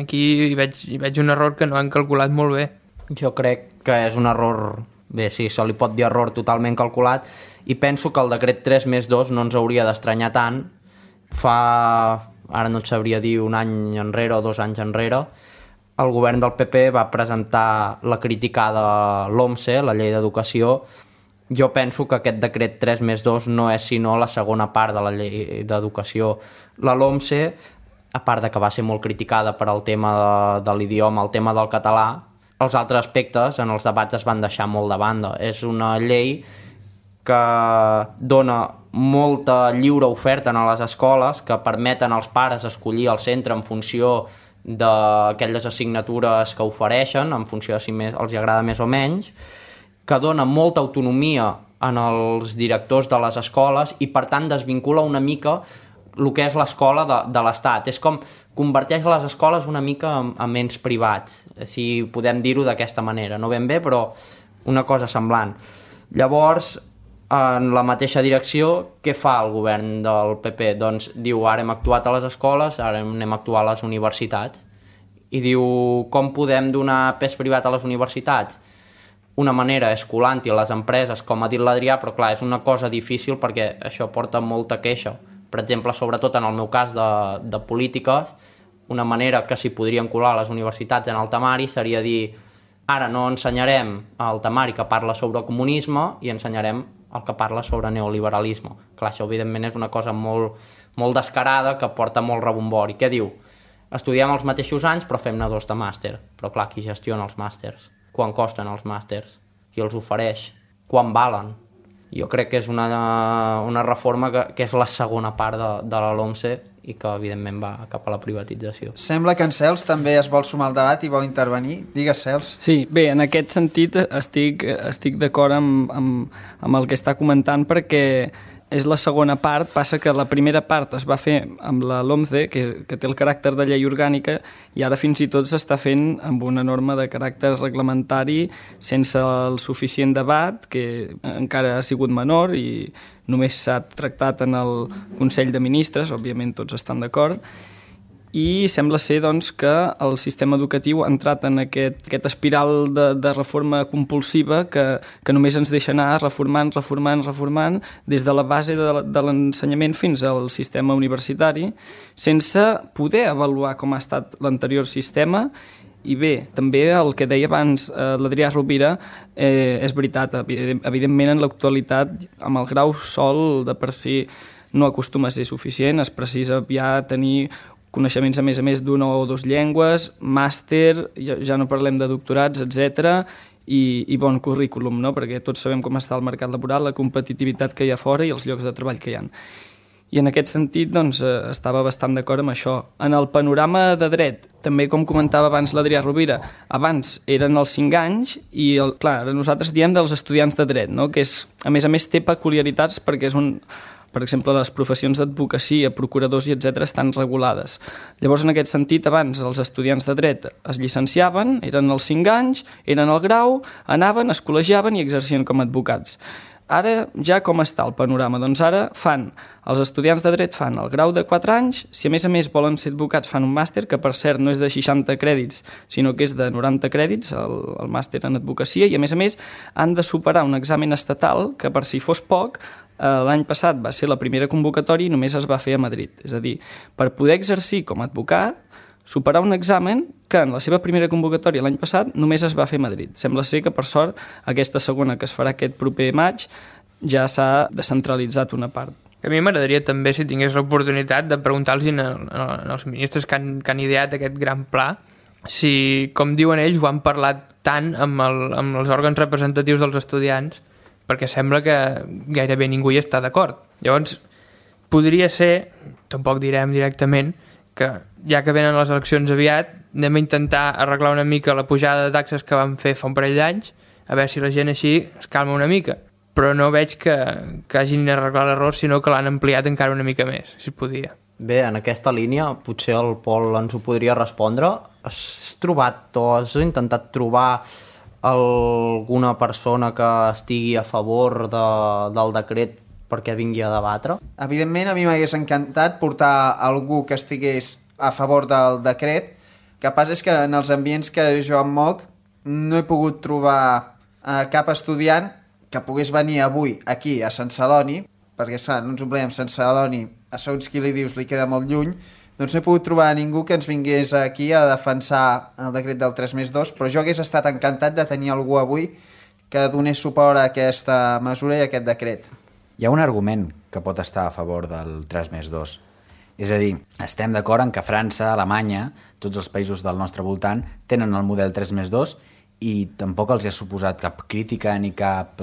aquí hi veig un error que no han calculat molt bé. Jo crec que és un error, bé, sí, se li pot dir error totalment calculat, i penso que el decret 3+2 no ens hauria d'estranyar tant. Ara no et sabria dir un any enrere o 2 anys enrere, el govern del PP va presentar la criticada LOMSE, la llei d'educació. Jo penso que aquest decret 3+2 no és sinó la segona part de la llei d'educació. La LOMSE, a part de que va ser molt criticada per al tema de l'idioma, el tema del català, els altres aspectes en els debats es van deixar molt de banda. És una llei que dona molta lliure oferta a les escoles, que permeten als pares escollir el centre en funció d'aquelles assignatures que ofereixen, en funció de si els agrada més o menys, que dona molta autonomia en els directors de les escoles i per tant desvincula una mica el que és l'escola de l'Estat. És com converteix les escoles una mica en ens privats, si podem dir-ho d'aquesta manera. No ben bé, però una cosa semblant. Llavors, en la mateixa direcció, què fa el govern del PP? Doncs diu, ara hem actuat a les escoles, ara anem a actuar a les universitats. I diu, com podem donar pes privat a les universitats? Una manera és colant-hi a les empreses, com ha dit l'Adrià, però clar, és una cosa difícil perquè això porta molta queixa. Per exemple, sobretot en el meu cas de polítiques, una manera que s'hi podrien colar a les universitats en el temari seria dir, ara no ensenyarem el temari que parla sobre comunisme i ensenyarem el que parla sobre neoliberalisme. Clar, això evidentment és una cosa molt descarada que porta molt rebombori. Què diu? Estudiem els mateixos anys però fem-ne 2 de màster. Però clar, qui gestiona els màsters? Quan costen els màsters? Qui els ofereix? Quan valen? Jo crec que és una reforma que és la segona part de la LOMCE i que evidentment va cap a la privatització. Sembla que en Cels també es vol sumar al debat i vol intervenir. Digues, Cels. Sí, bé, en aquest sentit estic d'acord amb el que està comentant perquè és la segona part, passa que la primera part es va fer amb la LOMCE, que té el caràcter de llei orgànica, i ara fins i tot s'està fent amb una norma de caràcter reglamentari sense el suficient debat, que encara ha sigut menor i només s'ha tractat en el Consell de Ministres, òbviament tots estan d'acord, i sembla ser doncs, que el sistema educatiu ha entrat en aquest espiral de reforma compulsiva que només ens deixa anar reformant des de la base de l'ensenyament fins al sistema universitari sense poder avaluar com ha estat l'anterior sistema. I bé, també el que deia abans l'Adrià Rovira és veritat, evidentment en l'actualitat amb el grau sol de per si no acostuma a ser suficient, es precisa ja tenir coneixements a més d'una o 2 llengües, màster, ja no parlem de doctorats, etc. I bon currículum, no? Perquè tots sabem com està el mercat laboral, la competitivitat que hi ha fora i els llocs de treball que hi ha. I en aquest sentit doncs, estava bastant d'acord amb això. En el panorama de dret, també com comentava abans l'Adrià Rovira, abans eren els 5 anys i clar, nosaltres diem dels estudiants de dret, no? Que és, a més té peculiaritats perquè és per exemple, les professions d'advocacia, procuradors i etc. estan regulades. Llavors, en aquest sentit, abans els estudiants de dret es llicenciaven, eren els 5 anys, eren al grau, anaven, es col·legiaven i exercien com a advocats. Ara ja com està el panorama? Doncs ara els estudiants de dret fan el grau de 4 anys, si a més volen ser advocats fan un màster, que per cert no és de 60 crèdits, sinó que és de 90 crèdits, el màster en advocacia, i a més han de superar un examen estatal que per si fos poc, l'any passat va ser la primera convocatòria i només es va fer a Madrid. És a dir, per poder exercir com a advocat, superar un examen que en la seva primera convocatòria l'any passat només es va fer a Madrid. Sembla ser que, per sort, aquesta segona que es farà aquest proper maig ja s'ha descentralitzat una part. A mi m'agradaria també, si tingués l'oportunitat, de preguntar-los als ministres que han ideat aquest gran pla, si, com diuen ells, ho han parlat tant amb els òrgans representatius dels estudiants, perquè sembla que gairebé ningú hi està d'acord. Llavors, podria ser, tampoc direm directament, que ja que venen les eleccions aviat, anem a intentar arreglar una mica la pujada de taxes que vam fer fa un parell d'anys, a veure si la gent així es calma una mica. Però no veig que hagin arreglat l'error, sinó que l'han ampliat encara una mica més, si es podia. Bé, en aquesta línia, potser el Pol ens ho podria respondre. Has intentat trobar alguna persona que estigui a favor del decret perquè vingui a debatre? Evidentment, a mi m'hagués encantat portar algú que estigués a favor del decret. El que passa és que en els ambients que jo em moc no he pogut trobar cap estudiant que pogués venir avui aquí a Sant Celoni, perquè clar, no ens oblidem, Sant Celoni, a segons qui li dius li queda molt lluny, doncs no he pogut trobar ningú que ens vingués aquí a defensar el decret del 3+2, però jo hagués estat encantat de tenir algú avui que donés suport a aquesta mesura i a aquest decret. Hi ha un argument que pot estar a favor del 3+2. És a dir, estem d'acord en que França, Alemanya, tots els països del nostre voltant tenen el model 3+2 i tampoc els ha suposat cap crítica ni cap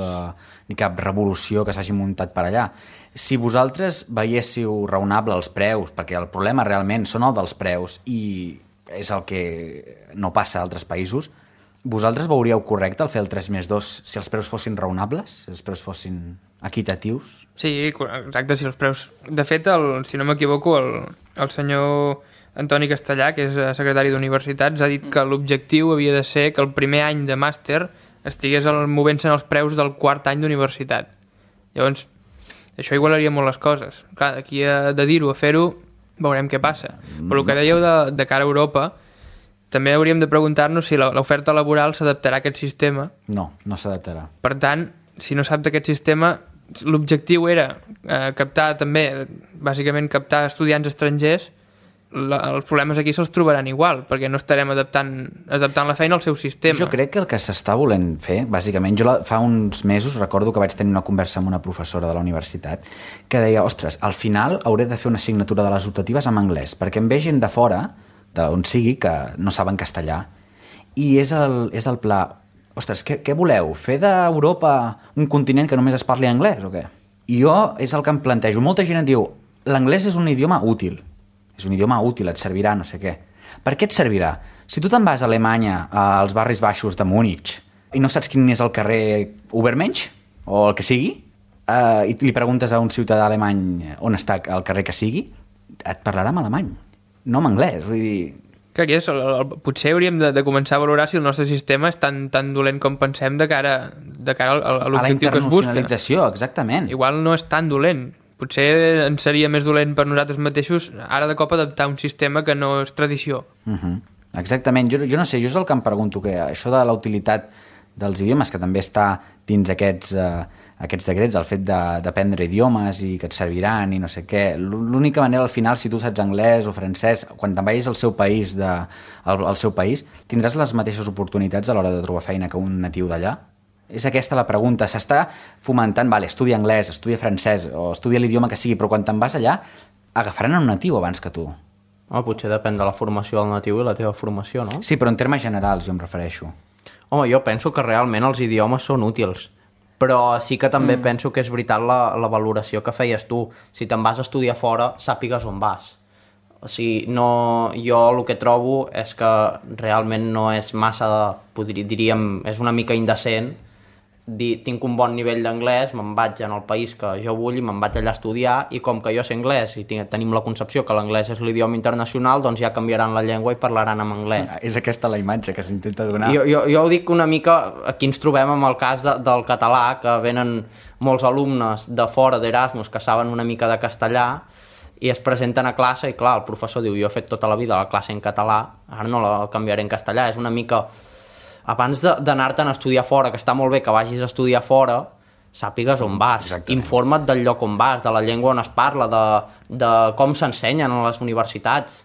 revolució que s'hagi muntat per allà. Si vosaltres veiéssiu raonable els preus, perquè el problema realment són el dels preus i és el que no passa a altres països, Vosaltres veuríeu correcte el fer el 3+2 si els preus fossin raonables, si els preus fossin equitatius? Sí, exacte, si els preus... De fet, si no m'equivoco, el senyor Antoni Castellà, que és secretari d'Universitats, ha dit que l'objectiu havia de ser que el primer any de màster estigués movent-se en els preus del quart any d'universitat. Llavors, això igualaria molt les coses. Clar, d'aquí de dir-ho a fer-ho, veurem què passa. Però el que dèieu de cara a Europa, també hauríem de preguntar-nos si l'oferta laboral s'adaptarà a aquest sistema. No, no s'adaptarà. Per tant, si no s'adapta aquest sistema, l'objectiu era captar també, bàsicament captar estudiants estrangers. Els problemes aquí se'ls trobaran igual, perquè no estarem adaptant la feina al seu sistema. Jo crec que el que s'està volent fer, bàsicament, fa uns mesos recordo que vaig tenir una conversa amb una professora de la universitat que deia, ostres, al final hauré de fer una assignatura de les optatives en anglès, perquè em ve gent de fora, d'on sigui, que no saben castellà. I és el pla, ostres, què voleu? Fer d'Europa un continent que només es parli anglès o què? I jo és el que em plantejo. Molta gent em diu, l'anglès és un idioma útil. És un idioma útil, et servirà, no sé què. Per què et servirà? Si tu te'n vas a Alemanya, als barris baixos de Múnich, i no saps quin és el carrer Ubermensch, o el que sigui, i li preguntes a un ciutadà alemany on està el carrer que sigui, et parlarà en alemany, no en anglès. Vull dir... Que aquí potser hauríem de començar a valorar si el nostre sistema és tan dolent com pensem de cara a l'objectiu que es busca. A la internacionalització, exactament. Igual no és tan dolent. Potser ens seria més dolent per nosaltres mateixos ara de cop adaptar un sistema que no és tradició. Exactament. Jo no sé, jo és el que em pregunto, que això de la utilitat dels idiomes, que també està dins aquests decrets, el fet d'aprendre idiomes i que et serviran i no sé què. L'única manera, al final, si tu saps anglès o francès, quan te'n vagis al seu país, tindràs les mateixes oportunitats a l'hora de trobar feina que un natiu d'allà? És aquesta la pregunta. S'està fomentant, estudia anglès, estudia francès o estudia l'idioma que sigui, però quan te'n vas allà agafaran un natiu abans que tu. Potser depèn de la formació del natiu i la teva formació, no? Sí, però en termes generals jo em refereixo. Jo penso que realment els idiomes són útils, però sí que també penso que és veritat la valoració que feies tu. Si te'n vas a estudiar fora, sàpigues on vas. O sigui, jo el que trobo és que realment no és massa, diríem, és una mica indecent dir, tinc un bon nivell d'anglès, me'n vaig en el país que jo vull i me'n vaig allà a estudiar, i com que jo sé anglès i tenim la concepció que l'anglès és l'idioma internacional, doncs ja canviaran la llengua i parlaran en anglès. És aquesta la imatge que s'intenta donar. Jo ho dic una mica, aquí ens trobem amb el cas del català, que venen molts alumnes de fora d'Erasmus que saben una mica de castellà i es presenten a classe i clar, el professor diu, jo he fet tota la vida la classe en català, ara no la canviaré en castellà. És una mica... Abans d'anar-te'n a estudiar fora, que està molt bé que vagis a estudiar fora, sàpigues on vas. Exactament. Informa't del lloc on vas, de la llengua on es parla, de com s'ensenyen a les universitats.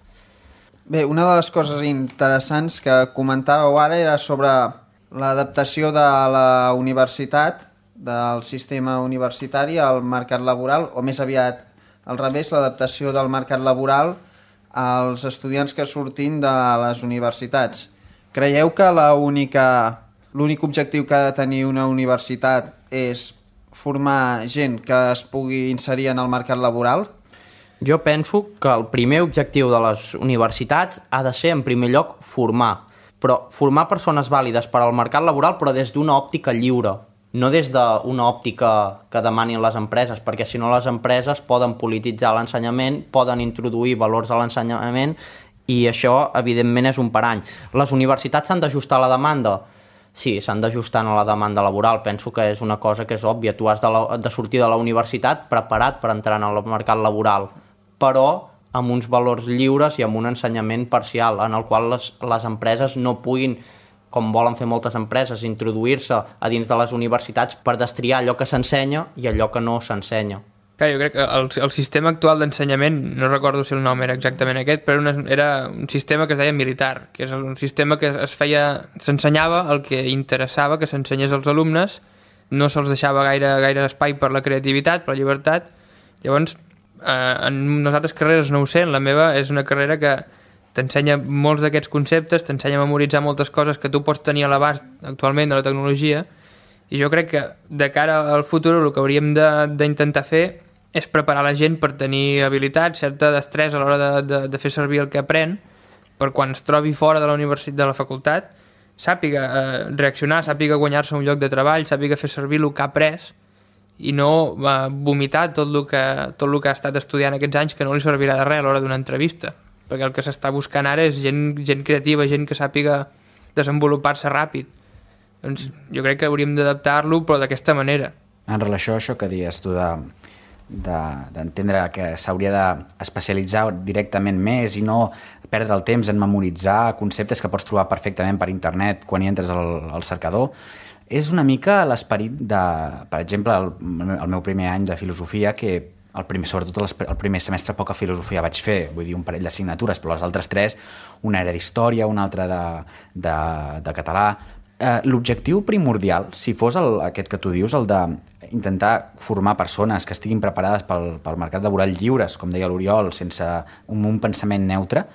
Bé, una de les coses interessants que comentàveu ara era sobre l'adaptació de la universitat, del sistema universitari al mercat laboral, o més aviat al revés, l'adaptació del mercat laboral als estudiants que surtin de les universitats. Creieu que l'únic objectiu que ha de tenir una universitat és formar gent que es pugui inserir en el mercat laboral? Jo penso que el primer objectiu de les universitats ha de ser, en primer lloc, formar. Però formar persones vàlides per al mercat laboral, però des d'una òptica lliure, no des d'una òptica que demanin les empreses, perquè si no les empreses poden polititzar l'ensenyament, poden introduir valors a l'ensenyament, i això, evidentment, és un parany. Les universitats s'han d'ajustar a la demanda? Sí, s'han d'ajustar a la demanda laboral. Penso que és una cosa que és òbvia. Tu has de sortir de la universitat preparat per entrar en el mercat laboral, però amb uns valors lliures i amb un ensenyament parcial, en el qual les empreses no puguin, com volen fer moltes empreses, introduir-se a dins de les universitats per destriar allò que s'ensenya i allò que no s'ensenya. Clar, jo crec que el sistema actual d'ensenyament, no recordo si el nom era exactament aquest, però era un sistema que es deia militar, que és un sistema que s'ensenyava el que interessava que s'ensenyés als alumnes, no se'ls deixava gaire espai per la creativitat, per la llibertat. Llavors, en les altres carreres no ho sé, en la meva és una carrera que t'ensenya molts d'aquests conceptes, t'ensenya a memoritzar moltes coses que tu pots tenir a l'abast actualment de la tecnologia, i jo crec que de cara al futur el que hauríem d'intentar fer és preparar la gent per tenir habilitat, certa destresa a l'hora de fer servir el que aprèn, per quan es trobi fora de la universitat, de la facultat, sàpiga reaccionar, sàpiga guanyar-se un lloc de treball, sàpiga fer servir el que ha après i no vomitar tot el que ha estat estudiant aquests anys, que no li servirà de res a l'hora d'una entrevista, perquè el que s'està buscant ara és gent creativa, gent que sàpiga desenvolupar-se ràpid. Doncs jo crec que hauríem d'adaptar-lo, però d'aquesta manera. En relació a això que dius tu d'entendre que s'hauria d'especialitzar directament més i no perdre el temps en memoritzar conceptes que pots trobar perfectament per internet quan hi entres al cercador, és una mica l'esperit de, per exemple, el meu primer any de filosofia, que sobretot el primer semestre poca filosofia vaig fer, vull dir un parell d'assignatures, però les altres 3, una era d'història, una altra de català. L'objectiu primordial, si fos aquest que tu dius, el d'intentar formar persones que estiguin preparades pel mercat laboral lliures, com deia l'Oriol, sense un pensament neutre,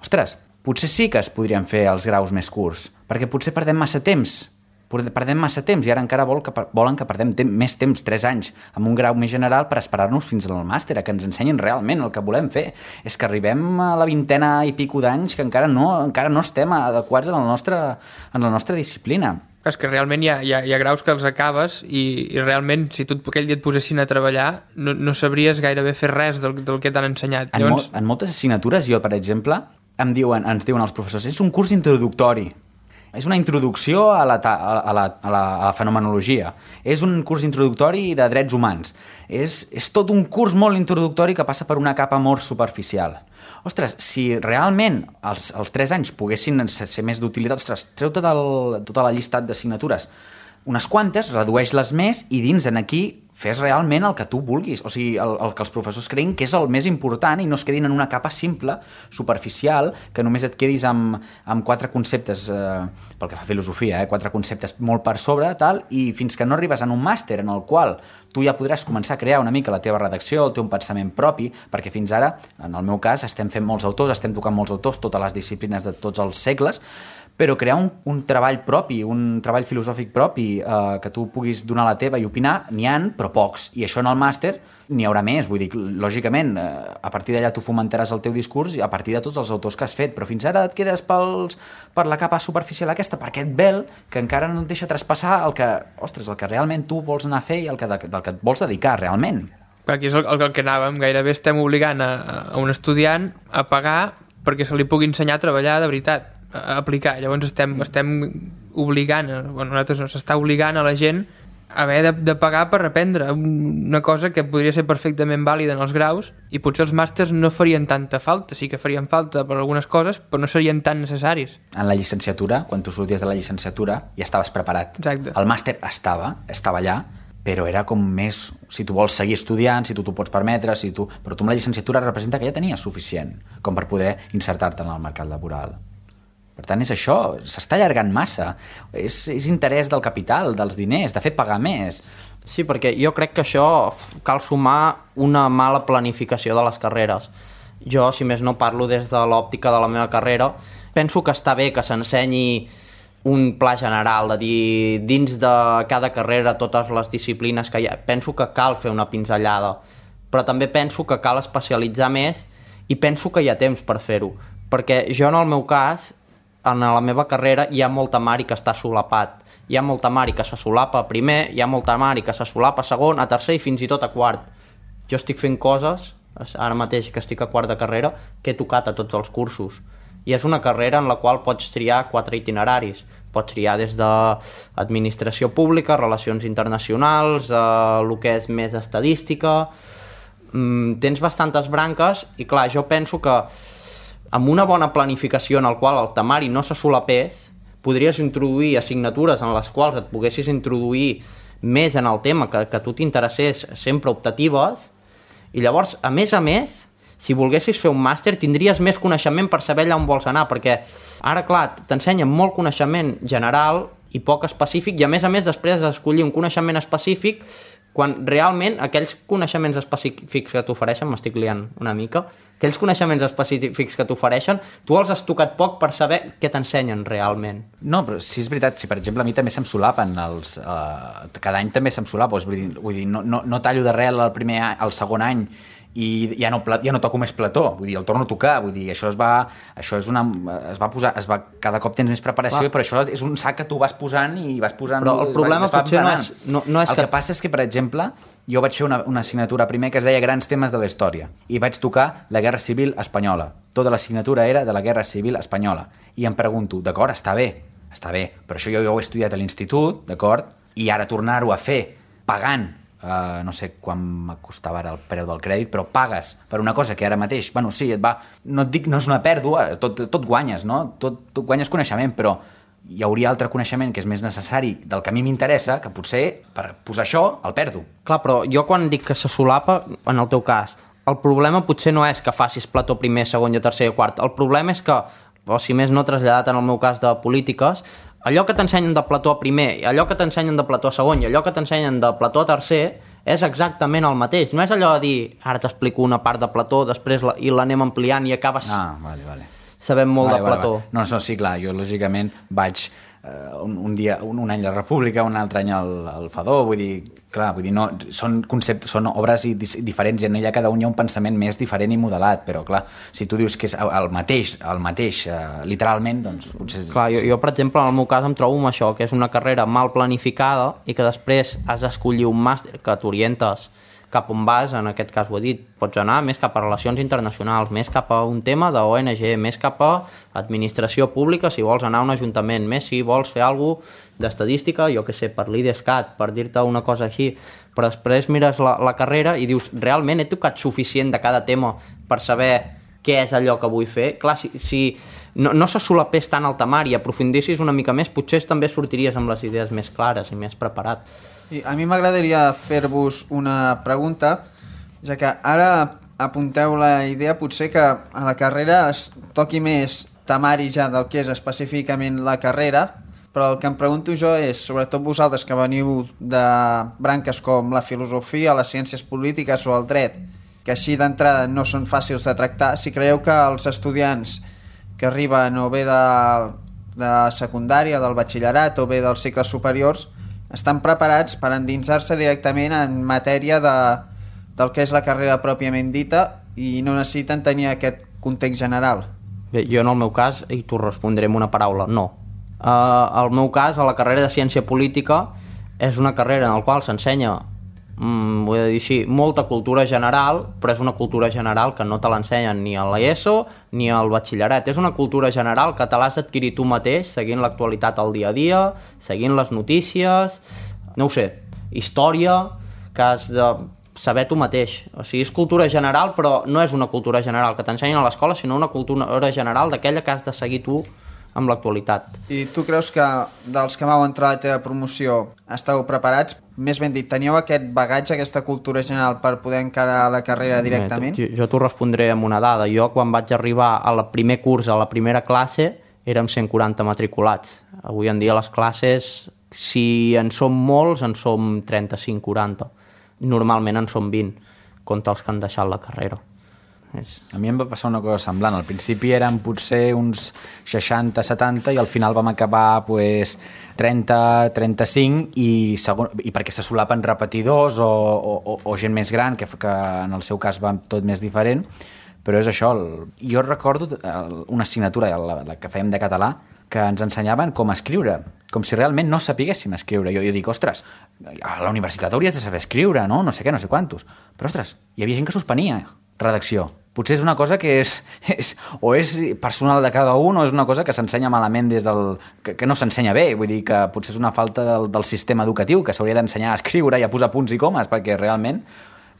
ostres, potser sí que es podrien fer els graus més curts, perquè potser perdem massa temps i ara encara volen que perdem més temps, 3 anys, amb un grau més general per esperar-nos fins al màster, a que ens ensenyin realment el que volem fer. És que arribem a la 20a i pico d'anys que encara no estem adequats en la nostra disciplina. És que realment hi ha graus que els acabes i realment, si tu aquell dia et posessin a treballar, no sabries gairebé fer res del que t'han ensenyat. En moltes assignatures, jo, per exemple, ens diuen els professors, és un curs introductori. És una introducció a la fenomenologia. És un curs introductori de drets humans. És tot un curs molt introductori que passa per una capa molt superficial. Ostres, si realment els 3 anys poguessin ser més d'utilitat, ostres, treu tota la llistat d'assignatures, unes quantes, redueix-les més i dins en aquí fes realment el que tu vulguis, o sigui, el que els professors creguin que és el més important i no es quedin en una capa simple, superficial, que només et quedis amb 4 conceptes, pel que fa a filosofia, 4 conceptes molt per sobre, tal, i fins que no arribes en un màster en el qual tu ja podràs començar a crear una mica la teva redacció, el teu pensament propi, perquè fins ara, en el meu cas, estem fent molts autors, estem tocant molts autors, totes les disciplines de tots els segles, però crear un treball propi, un treball filosòfic propi, que tu puguis donar la teva i opinar, n'hi ha, però pocs. I això en el màster n'hi haurà més. Vull dir, lògicament, a partir d'allà tu fomentaràs el teu discurs a partir de tots els autors que has fet, però fins ara et quedes per la capa superficial aquesta, per aquest vel que encara no et deixa traspassar el que realment tu vols anar a fer i del que et vols dedicar realment. Aquí és el que anàvem. Gairebé estem obligant a un estudiant a pagar perquè se li pugui ensenyar a treballar de veritat, a aplicar. Llavors estem obligant, nosaltres no, s'està obligant a la gent a haver de pagar per aprendre una cosa que podria ser perfectament vàlida en els graus, i potser els màsters no farien tanta falta, sí que farien falta per algunes coses, però no serien tan necessaris. En la llicenciatura, quan tu sorties de la llicenciatura, ja estaves preparat. Exacte. El màster estava allà, però era com més, si tu vols seguir estudiant, si tu t'ho pots permetre, però tu amb la llicenciatura representa que ja tenies suficient com per poder insertar-te en el mercat laboral. Per tant, és això, s'està allargant massa. És interès del capital, dels diners, de fer pagar més. Sí, perquè jo crec que això cal sumar una mala planificació de les carreres. Jo, si més no, parlo des de l'òptica de la meva carrera. Penso que està bé que s'ensenyi un pla general, de dir, dins de cada carrera, totes les disciplines que hi ha. Penso que cal fer una pinzellada, però també penso que cal especialitzar més i penso que hi ha temps per fer-ho. Perquè jo, en el meu cas, en la meva carrera hi ha molt temari que està solapat. Hi ha molt temari que se solapa a primer, hi ha molt temari que se solapa a segon, a tercer i fins i tot a quart. Jo estic fent coses, ara mateix que estic a quart de carrera, que he tocat a tots els cursos. I és una carrera en la qual pots triar 4 itineraris. Pots triar des d'administració pública, relacions internacionals, el que és més estadística. Tens bastantes branques i, clar, jo penso que amb una bona planificació en el qual el temari no se solapés, podries introduir assignatures en les quals et poguessis introduir més en el tema que tu t'interessés, sempre optatives, i llavors, a més, si volguessis fer un màster, tindries més coneixement per saber allà on vols anar, perquè ara, clar, t'ensenyen molt coneixement general i poc específic, i a més, després d'escollir un coneixement específic, quan realment aquells coneixements específics que t'ofereixen, m'estic liant una mica, aquells coneixements específics que t'ofereixen, tu els has tocat poc per saber què t'ensenyen realment. No, però sí és veritat, si per exemple a mi també se'm solapen cada any també se'm solapa, vull dir, no tallo d'arrel el segon any i ja no toco més Plató, vull dir, el torno a tocar, vull dir, cada cop tens més preparació, però això és un sac que tu vas posant i vas posant... Però el problema potser no és el que passa és que, per exemple, jo vaig fer una assignatura primer que es deia Grans temes de la història i vaig tocar la Guerra Civil Espanyola. Tota l'assignatura era de la Guerra Civil Espanyola. I em pregunto, d'acord, està bé, però això jo ho he estudiat a l'institut, d'acord? I ara tornar-ho a fer pagant, no sé quan me costava ara el preu del crèdit, però pagues per una cosa que ara mateix, bueno, sí, no et dic, no és una pèrdua, tot guanyes, no? Tot guanyes coneixement, però hi hauria altre coneixement que és més necessari del que a mi m'interessa, que potser per posar això el perdo. Clar, però jo quan dic que se solapa, en el teu cas, el problema potser no és que facis Plató primer, segon i tercer i quart. El problema és que, o si més no traslladat en el meu cas de polítiques, allò que t'ensenyen de Plató a primer, allò que t'ensenyen de Plató a segon i allò que t'ensenyen de Plató a tercer és exactament el mateix. No és allò de dir, ara t'explico una part de Plató, després i l'anem ampliant i acabes sabent molt de Plató. Vale. No, sí, clar, jo lògicament vaig un any la República, un altre any el Fadó, vull dir, no, són obres diferents i en ella cada un hi ha un pensament més diferent i modelat, però clar, si tu dius que és el mateix literalment, doncs potser... Clar, jo per exemple, en el meu cas em trobo amb això, que és una carrera mal planificada i que després has d'escollir un màster que t'orientes cap on vas, en aquest cas ho he dit, pots anar més cap a relacions internacionals, més cap a un tema d'ONG, més cap a administració pública, si vols anar a un ajuntament, més si vols fer alguna cosa d'estadística, jo què sé, per l'IDESCAT, per dir-te una cosa així, però després mires la carrera i dius, realment he tocat suficient de cada tema per saber què és allò que vull fer? Clar, si no se solapés tant el temar i aprofundissis una mica més, potser també sortiries amb les idees més clares i més preparat. I a mi m'agradaria fer-vos una pregunta, ja que ara apunteu la idea potser que a la carrera es toqui més temari ja del que és específicament la carrera, però el que em pregunto jo és, sobretot vosaltres que veniu de branques com la filosofia, les ciències polítiques o el dret, que així d'entrada no són fàcils de tractar, si creieu que els estudiants que arriben o bé de secundària, del batxillerat o bé dels cicles superiors, estan preparats per endinsar-se directament en matèria del que és la carrera pròpiament dita i no necessiten tenir aquest context general. Bé, jo en el meu cas, i t'ho respondré amb una paraula, no. El meu cas, a la carrera de ciència política, és una carrera en la qual s'ensenya, ho he de dir així, molta cultura general, però és una cultura general que no te l'ensenyen ni a l'ESO ni al batxillerat. És una cultura general que te l'has d'adquirir tu mateix, seguint l'actualitat al dia a dia, seguint les notícies, no ho sé, història, que has de saber tu mateix. O sigui, és cultura general, però no és una cultura general que t'ensenyen a l'escola, sinó una cultura general d'aquella que has de seguir tu amb l'actualitat. I tu creus que dels que vau entrar a la teva promoció esteu preparats? Més ben dit, teníeu aquest bagatge, aquesta cultura general per poder encarar la carrera directament? Jo t'ho respondré amb una dada. Jo, quan vaig arribar al primer curs, a la primera classe, érem 140 matriculats. Avui en dia les classes, si en som molts, en som 35-40. Normalment en som 20, compte els que han deixat la carrera. A mi em va passar una cosa semblant. Al principi eren potser uns 60-70 i al final vam acabar 30-35 i perquè se solapen repetidors o gent més gran, que en el seu cas va tot més diferent, però és això. Jo recordo una assignatura, la que fèiem de català, que ens ensenyaven com escriure, com si realment no sapiguéssim escriure. Jo dic, ostres, a la universitat hauries de saber escriure, no? No sé què, no sé quantos. Però, ostres, hi havia gent que suspenia redacció. Potser és una cosa que és personal de cada un o és una cosa que s'ensenya malament que no s'ensenya bé. Vull dir que potser és una falta del sistema educatiu, que s'hauria d'ensenyar a escriure i a posar punts i comes, perquè realment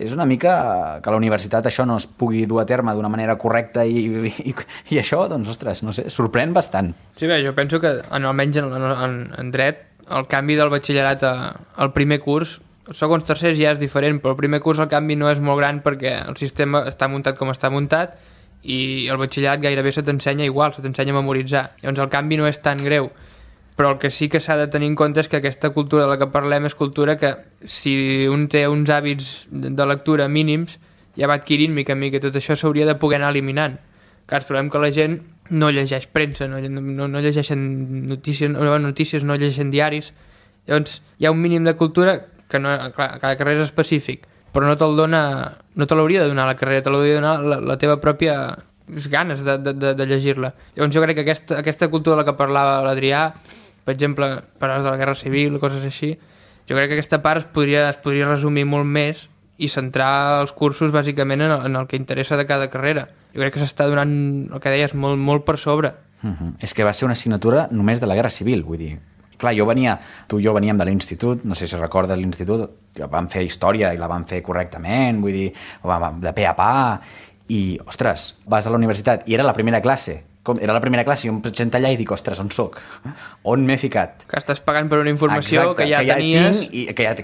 és una mica que a la universitat això no es pugui dur a terme d'una manera correcta i això, doncs, ostres, no sé, sorprèn bastant. Sí, bé, jo penso que almenys en dret el canvi del batxillerat al primer curs, segons tercers ja és diferent, però el primer curs el canvi no és molt gran perquè el sistema està muntat com està muntat i el batxillerat gairebé se t'ensenya igual, se t'ensenya a memoritzar. Llavors el canvi no és tan greu, però el que sí que s'ha de tenir en compte és que aquesta cultura de la que parlem és cultura que si un té uns hàbits de lectura mínims ja va adquirint mica en mica, tot això s'hauria de poder anar eliminant. Car trobem que la gent no llegeix premsa, no llegeixen notícies, no llegeixen diaris, llavors hi ha un mínim de cultura que no, clar, cada carrer és específic, però no te'l dona, no te l'hauria de donar la carrera, te l'hauria de donar la teva pròpia ganes de llegir-la. Llavors jo crec que aquesta cultura de la que parlava l'Adrià, per exemple, paraules de la Guerra Civil, coses així, jo crec que aquesta part es podria resumir molt més i centrar els cursos bàsicament en el que interessa de cada carrera. Jo crec que s'està donant, el que deies, molt, molt per sobre. És que va ser una assignatura només de la Guerra Civil, vull dir. Clar, tu i jo veníem de l'institut, no sé si recordes l'institut, que vam fer història i la vam fer correctament, vull dir, de pe a pa, i, ostres, vas a la universitat i era la primera classe, era la primera classe i em presento allà i dic, ostres, on soc? On m'he ficat? Que estàs pagant per una informació exacte, que ja tenies...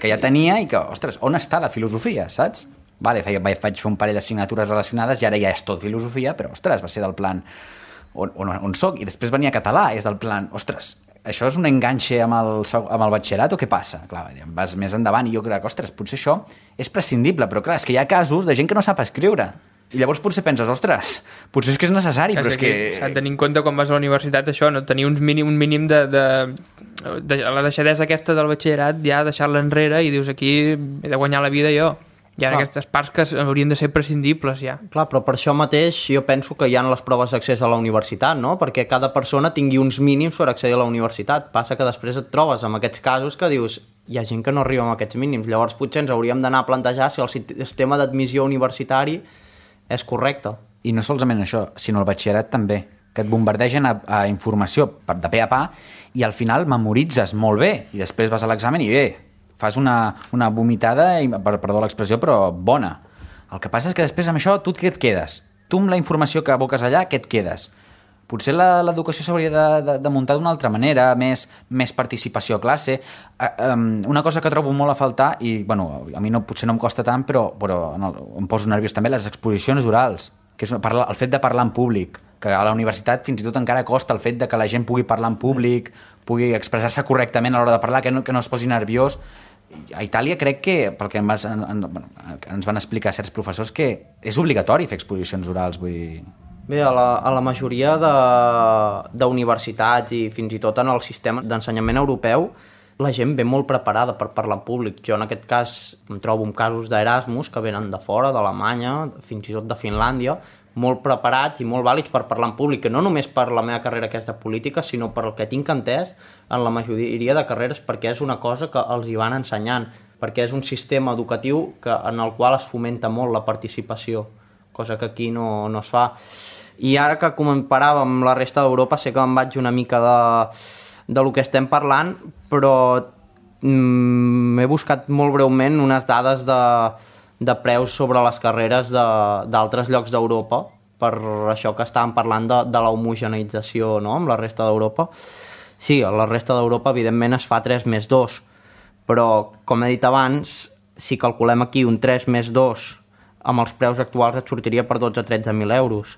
Que ja tenia i que, ostres, on està la filosofia, saps? Vale, vaig fer un parell d'assignatures relacionades i ara ja és tot filosofia, però, ostres, va ser del plan on soc, i després venia català, és del plan, ostres, això és un enganxe amb el batxillerat o què passa? Clar, vas més endavant i jo crec que, ostres, potser això és prescindible, però clar, és que hi ha casos de gent que no sap escriure. I llavors potser penses, ostres, potser és que és necessari, però és que... S'ha de tenir en compte quan vas a la universitat això, no? Tenir un mínim de la deixadesa aquesta del batxillerat, ja deixar-la enrere i dius, aquí he de guanyar la vida jo. Hi ha aquestes parts que haurien de ser prescindibles, ja. Clar, però per això mateix jo penso que hi ha les proves d'accés a la universitat, no? Perquè cada persona tingui uns mínims per accedir a la universitat. Passa que després et trobes amb aquests casos que dius, hi ha gent que no arriba amb aquests mínims. Llavors potser ens hauríem d'anar a plantejar si el sistema d'admissió universitari és correcte. I no solament això, sinó el batxillerat també, que et bombardegen a informació de pe a pa i al final memoritzes molt bé i després vas a l'examen i fas una vomitada, perdó l'expressió, però bona. El que passa és que després amb això tu què et quedes? Tu amb la informació que aboques allà, què et quedes? Potser l'educació s'hauria de muntar d'una altra manera, més participació a classe. Una cosa que trobo molt a faltar, i bueno, a mi potser no em costa tant, però em poso nerviós també, les exposicions orals, que és el fet de parlar en públic, que a la universitat fins i tot encara costa el fet de que la gent pugui parlar en públic, pugui expressar-se correctament a l'hora de parlar, que no es posi nerviós. A Itàlia crec que, pel que ens van explicar certs professors, que és obligatori fer exposicions orals, vull dir... Bé, a la majoria d'universitats i fins i tot en el sistema d'ensenyament europeu la gent ve molt preparada per parlar en públic. Jo en aquest cas em trobo amb casos d'Erasmus que venen de fora, d'Alemanya, fins i tot de Finlàndia, molt preparats i molt vàlids per parlar en públic, que no només per la meva carrera que és de política, sinó per el que tinc entès en la majoria de carreres, perquè és una cosa que els hi van ensenyant, perquè és un sistema educatiu en el qual es fomenta molt la participació, cosa que aquí no es fa. I ara que comparàvem amb la resta d'Europa, sé que em vaig una mica de lo que estem parlant, però he buscat molt breument unes dades de preus sobre les carreres d'altres llocs d'Europa, per això que estàvem parlant de la homogeneïtzació, no?, amb la resta d'Europa. Sí, a la resta d'Europa, evidentment, es fa 3+2, però, com he dit abans, si calculem aquí un 3+2 amb els preus actuals et sortiria per 12-13.000 euros.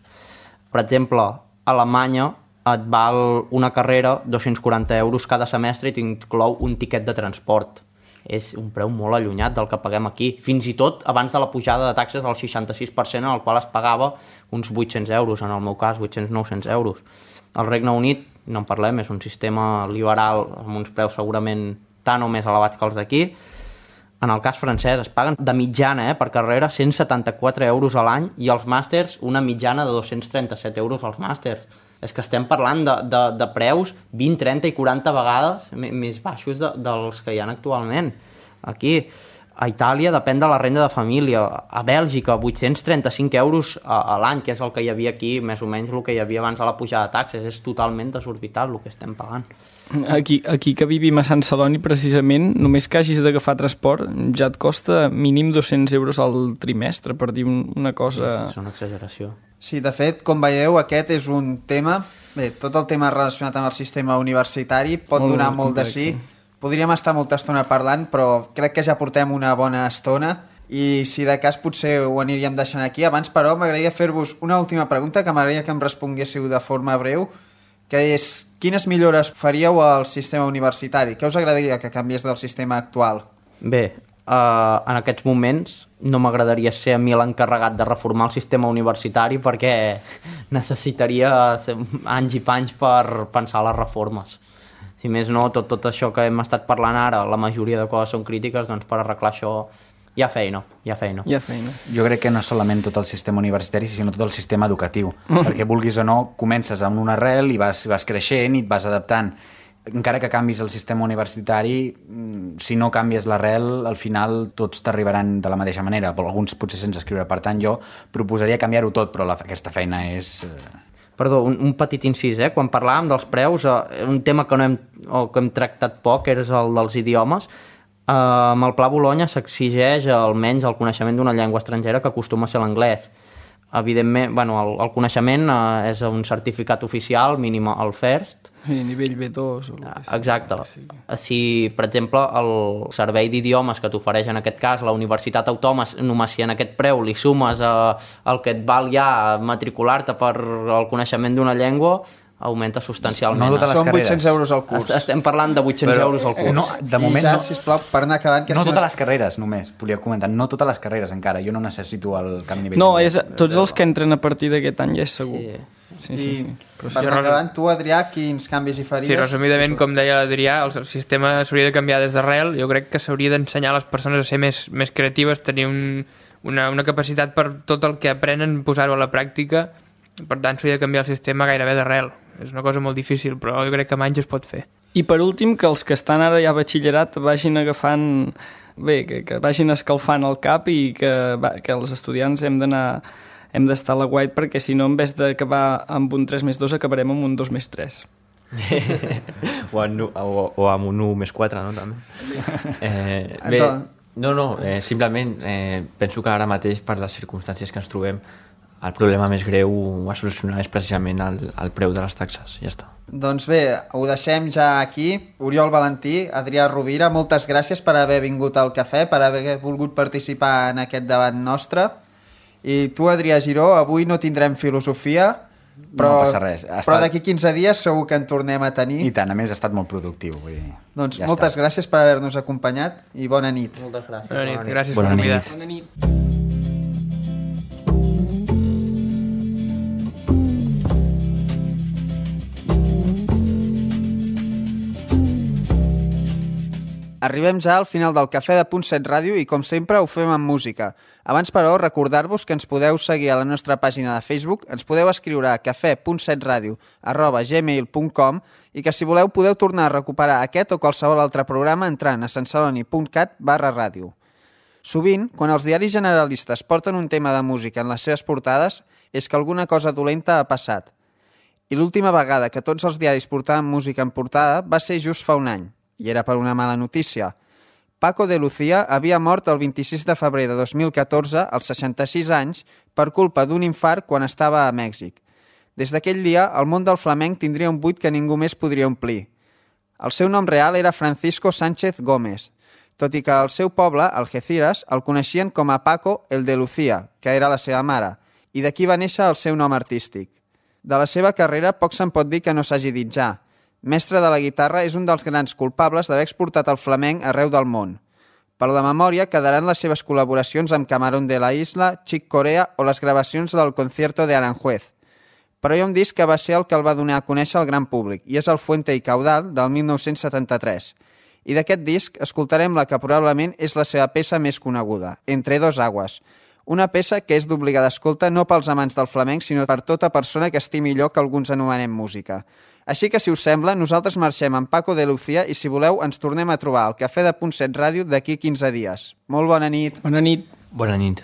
Per exemple, a Alemanya et val una carrera 240 euros cada semestre i t'inclou un tiquet de transport. És un preu molt allunyat del que paguem aquí. Fins i tot abans de la pujada de taxes del 66%, en el qual es pagava uns 800 euros, en el meu cas 800-900 euros. Al Regne Unit, no en parlem, és un sistema liberal amb uns preus segurament tan o més elevats que els d'aquí. En el cas francès es paguen de mitjana per carrera 174 euros a l'any i els màsters una mitjana de 237 euros als màsters. És que estem parlant de preus 20, 30 i 40 vegades més baixos dels que hi ha actualment. Aquí, a Itàlia, depèn de la renda de família. A Bèlgica, 835 euros a l'any, que és el que hi havia aquí, més o menys el que hi havia abans de la pujada de taxes. És totalment desorbitat el que estem pagant. Aquí que vivim a Sant Celoni, precisament, només que hagis d'agafar transport ja et costa mínim 200 euros al trimestre, per dir una cosa... Sí, és una exageració. Sí, de fet, com veieu, aquest és un tema... Bé, tot el tema relacionat amb el sistema universitari pot donar molt de sí. Podríem estar molta estona parlant, però crec que ja portem una bona estona i si de cas potser ho aniríem deixant aquí. Abans, però, m'agradaria fer-vos una última pregunta que m'agradaria que em responguéssiu de forma breu, que és, quines millores faríeu al sistema universitari? Què us agradaria que canviés del sistema actual? Bé, en aquests moments no m'agradaria ser a mi l'encarregat de reformar el sistema universitari perquè necessitaria anys i panys per pensar les reformes. Si més no, tot això que hem estat parlant ara, la majoria de coses són crítiques, doncs per arreglar això Hi ha feina. Jo crec que no solament tot el sistema universitari, sinó tot el sistema educatiu, perquè vulguis o no, comences amb una arrel i vas creixent i et vas adaptant. Encara que canvis el sistema universitari, si no canvies l'arrel, al final tots t'arribaran de la mateixa manera, però alguns potser sense escriure. Per tant, jo proposaria canviar-ho tot, però aquesta feina és... Perdó, un petit incís, quan parlàvem dels preus, un tema que hem tractat poc és el dels idiomes. Amb el Pla Bologna s'exigeix almenys el coneixement d'una llengua estrangera que acostuma a ser l'anglès. Evidentment, el coneixement és un certificat oficial, mínim el FIRST. Sí, nivell B2. Exacte. Si, per exemple, el servei d'idiomes que t'ofereix en aquest cas la Universitat Autònoma, només si en aquest preu li sumes el que et val ja matricular-te per el coneixement d'una llengua, augmenta substancialment. No totes les Són carreres. 800 euros al curs. Estem parlant de 800 euros al curs. No, de moment I ja, no. sisplau, per anar acabant... No totes les carreres, només. Volia comentar, no totes les carreres encara. Jo no necessito el camp nivell. No, tots els que entren a partir d'aquest any ja és segur. Sí. Però per anar acabant, tu, Adrià, quins canvis hi faries? Sí, resumidament, com deia l'Adrià, el sistema s'hauria de canviar des d'arrel. Jo crec que s'hauria d'ensenyar a les persones a ser més creatives, tenir una capacitat per tot el que aprenen, posar-ho a la pràctica. Per tant, s'hauria de canviar el sistema gairebé d'arrel. És una cosa molt difícil, però jo crec que amb anys es pot fer. I per últim, que els que estan ara ja a batxillerat vagin agafant... Bé, que vagin escalfant el cap i que els estudiants hem d'estar a la guait, perquè si no, en vez d'acabar amb un 3+2, acabarem amb un 2+3. o amb un 1+4, no? També. Simplement penso que ara mateix, per les circumstàncies que ens trobem, el problema més greu a solucionar és precisament el preu de les taxes, ja està. Doncs bé, ho deixem ja aquí. Oriol Valentí, Adrià Rovira, moltes gràcies per haver vingut al cafè, per haver volgut participar en aquest debat nostre. I tu, Adrià Giró, avui no tindrem filosofia, però, no passa res. Però d'aquí 15 dies segur que en tornem a tenir. I tant, a més ha estat molt productiu. Vull dir, doncs ja moltes gràcies per haver-nos acompanyat i bona nit. Moltes gràcies. Bona nit. Gràcies per convidar. Bona nit. Arribem ja al final del Cafè de Punt 7 Ràdio i, com sempre, ho fem amb música. Abans, però, recordar-vos que ens podeu seguir a la nostra pàgina de Facebook, ens podeu escriure a cafè.setradio@gmail.com i que, si voleu, podeu tornar a recuperar aquest o qualsevol altre programa entrant a santceloni.cat/ràdio. Sovint, quan els diaris generalistes porten un tema de música en les seves portades, és que alguna cosa dolenta ha passat. I l'última vegada que tots els diaris portaven música en portada va ser just fa un any. I era per una mala notícia. Paco de Lucía havia mort el 26 de febrer de 2014, als 66 anys, per culpa d'un infart quan estava a Mèxic. Des d'aquell dia, el món del flamenc tindria un buit que ningú més podria omplir. El seu nom real era Francisco Sánchez Gómez, tot i que al seu poble, Algeciras, el coneixien com a Paco el de Lucía, que era la seva mare, i d'aquí va néixer el seu nom artístic. De la seva carrera poc se'n pot dir que no s'hagi dit ja. Mestre de la guitarra, és un dels grans culpables d'haver exportat el flamenc arreu del món. Per la memòria quedaran les seves col·laboracions amb Camarón de la Isla, Chick Corea o les gravacions del Concierto de Aranjuez. Però hi ha un disc que va ser el que el va donar a conèixer al gran públic, i és el Fuente y Caudal, del 1973. I d'aquest disc escoltarem la que probablement és la seva peça més coneguda, Entre dos aguas, una peça que és d'obligada escolta no pels amants del flamenc, sinó per tota persona que estimi allò que alguns anomenem música. Així que, si us sembla, nosaltres marxem amb Paco de Lucía i, si voleu, ens tornem a trobar al Cafè de Punt 7 Ràdio d'aquí 15 dies. Molt bona nit. Bona nit. Bona nit.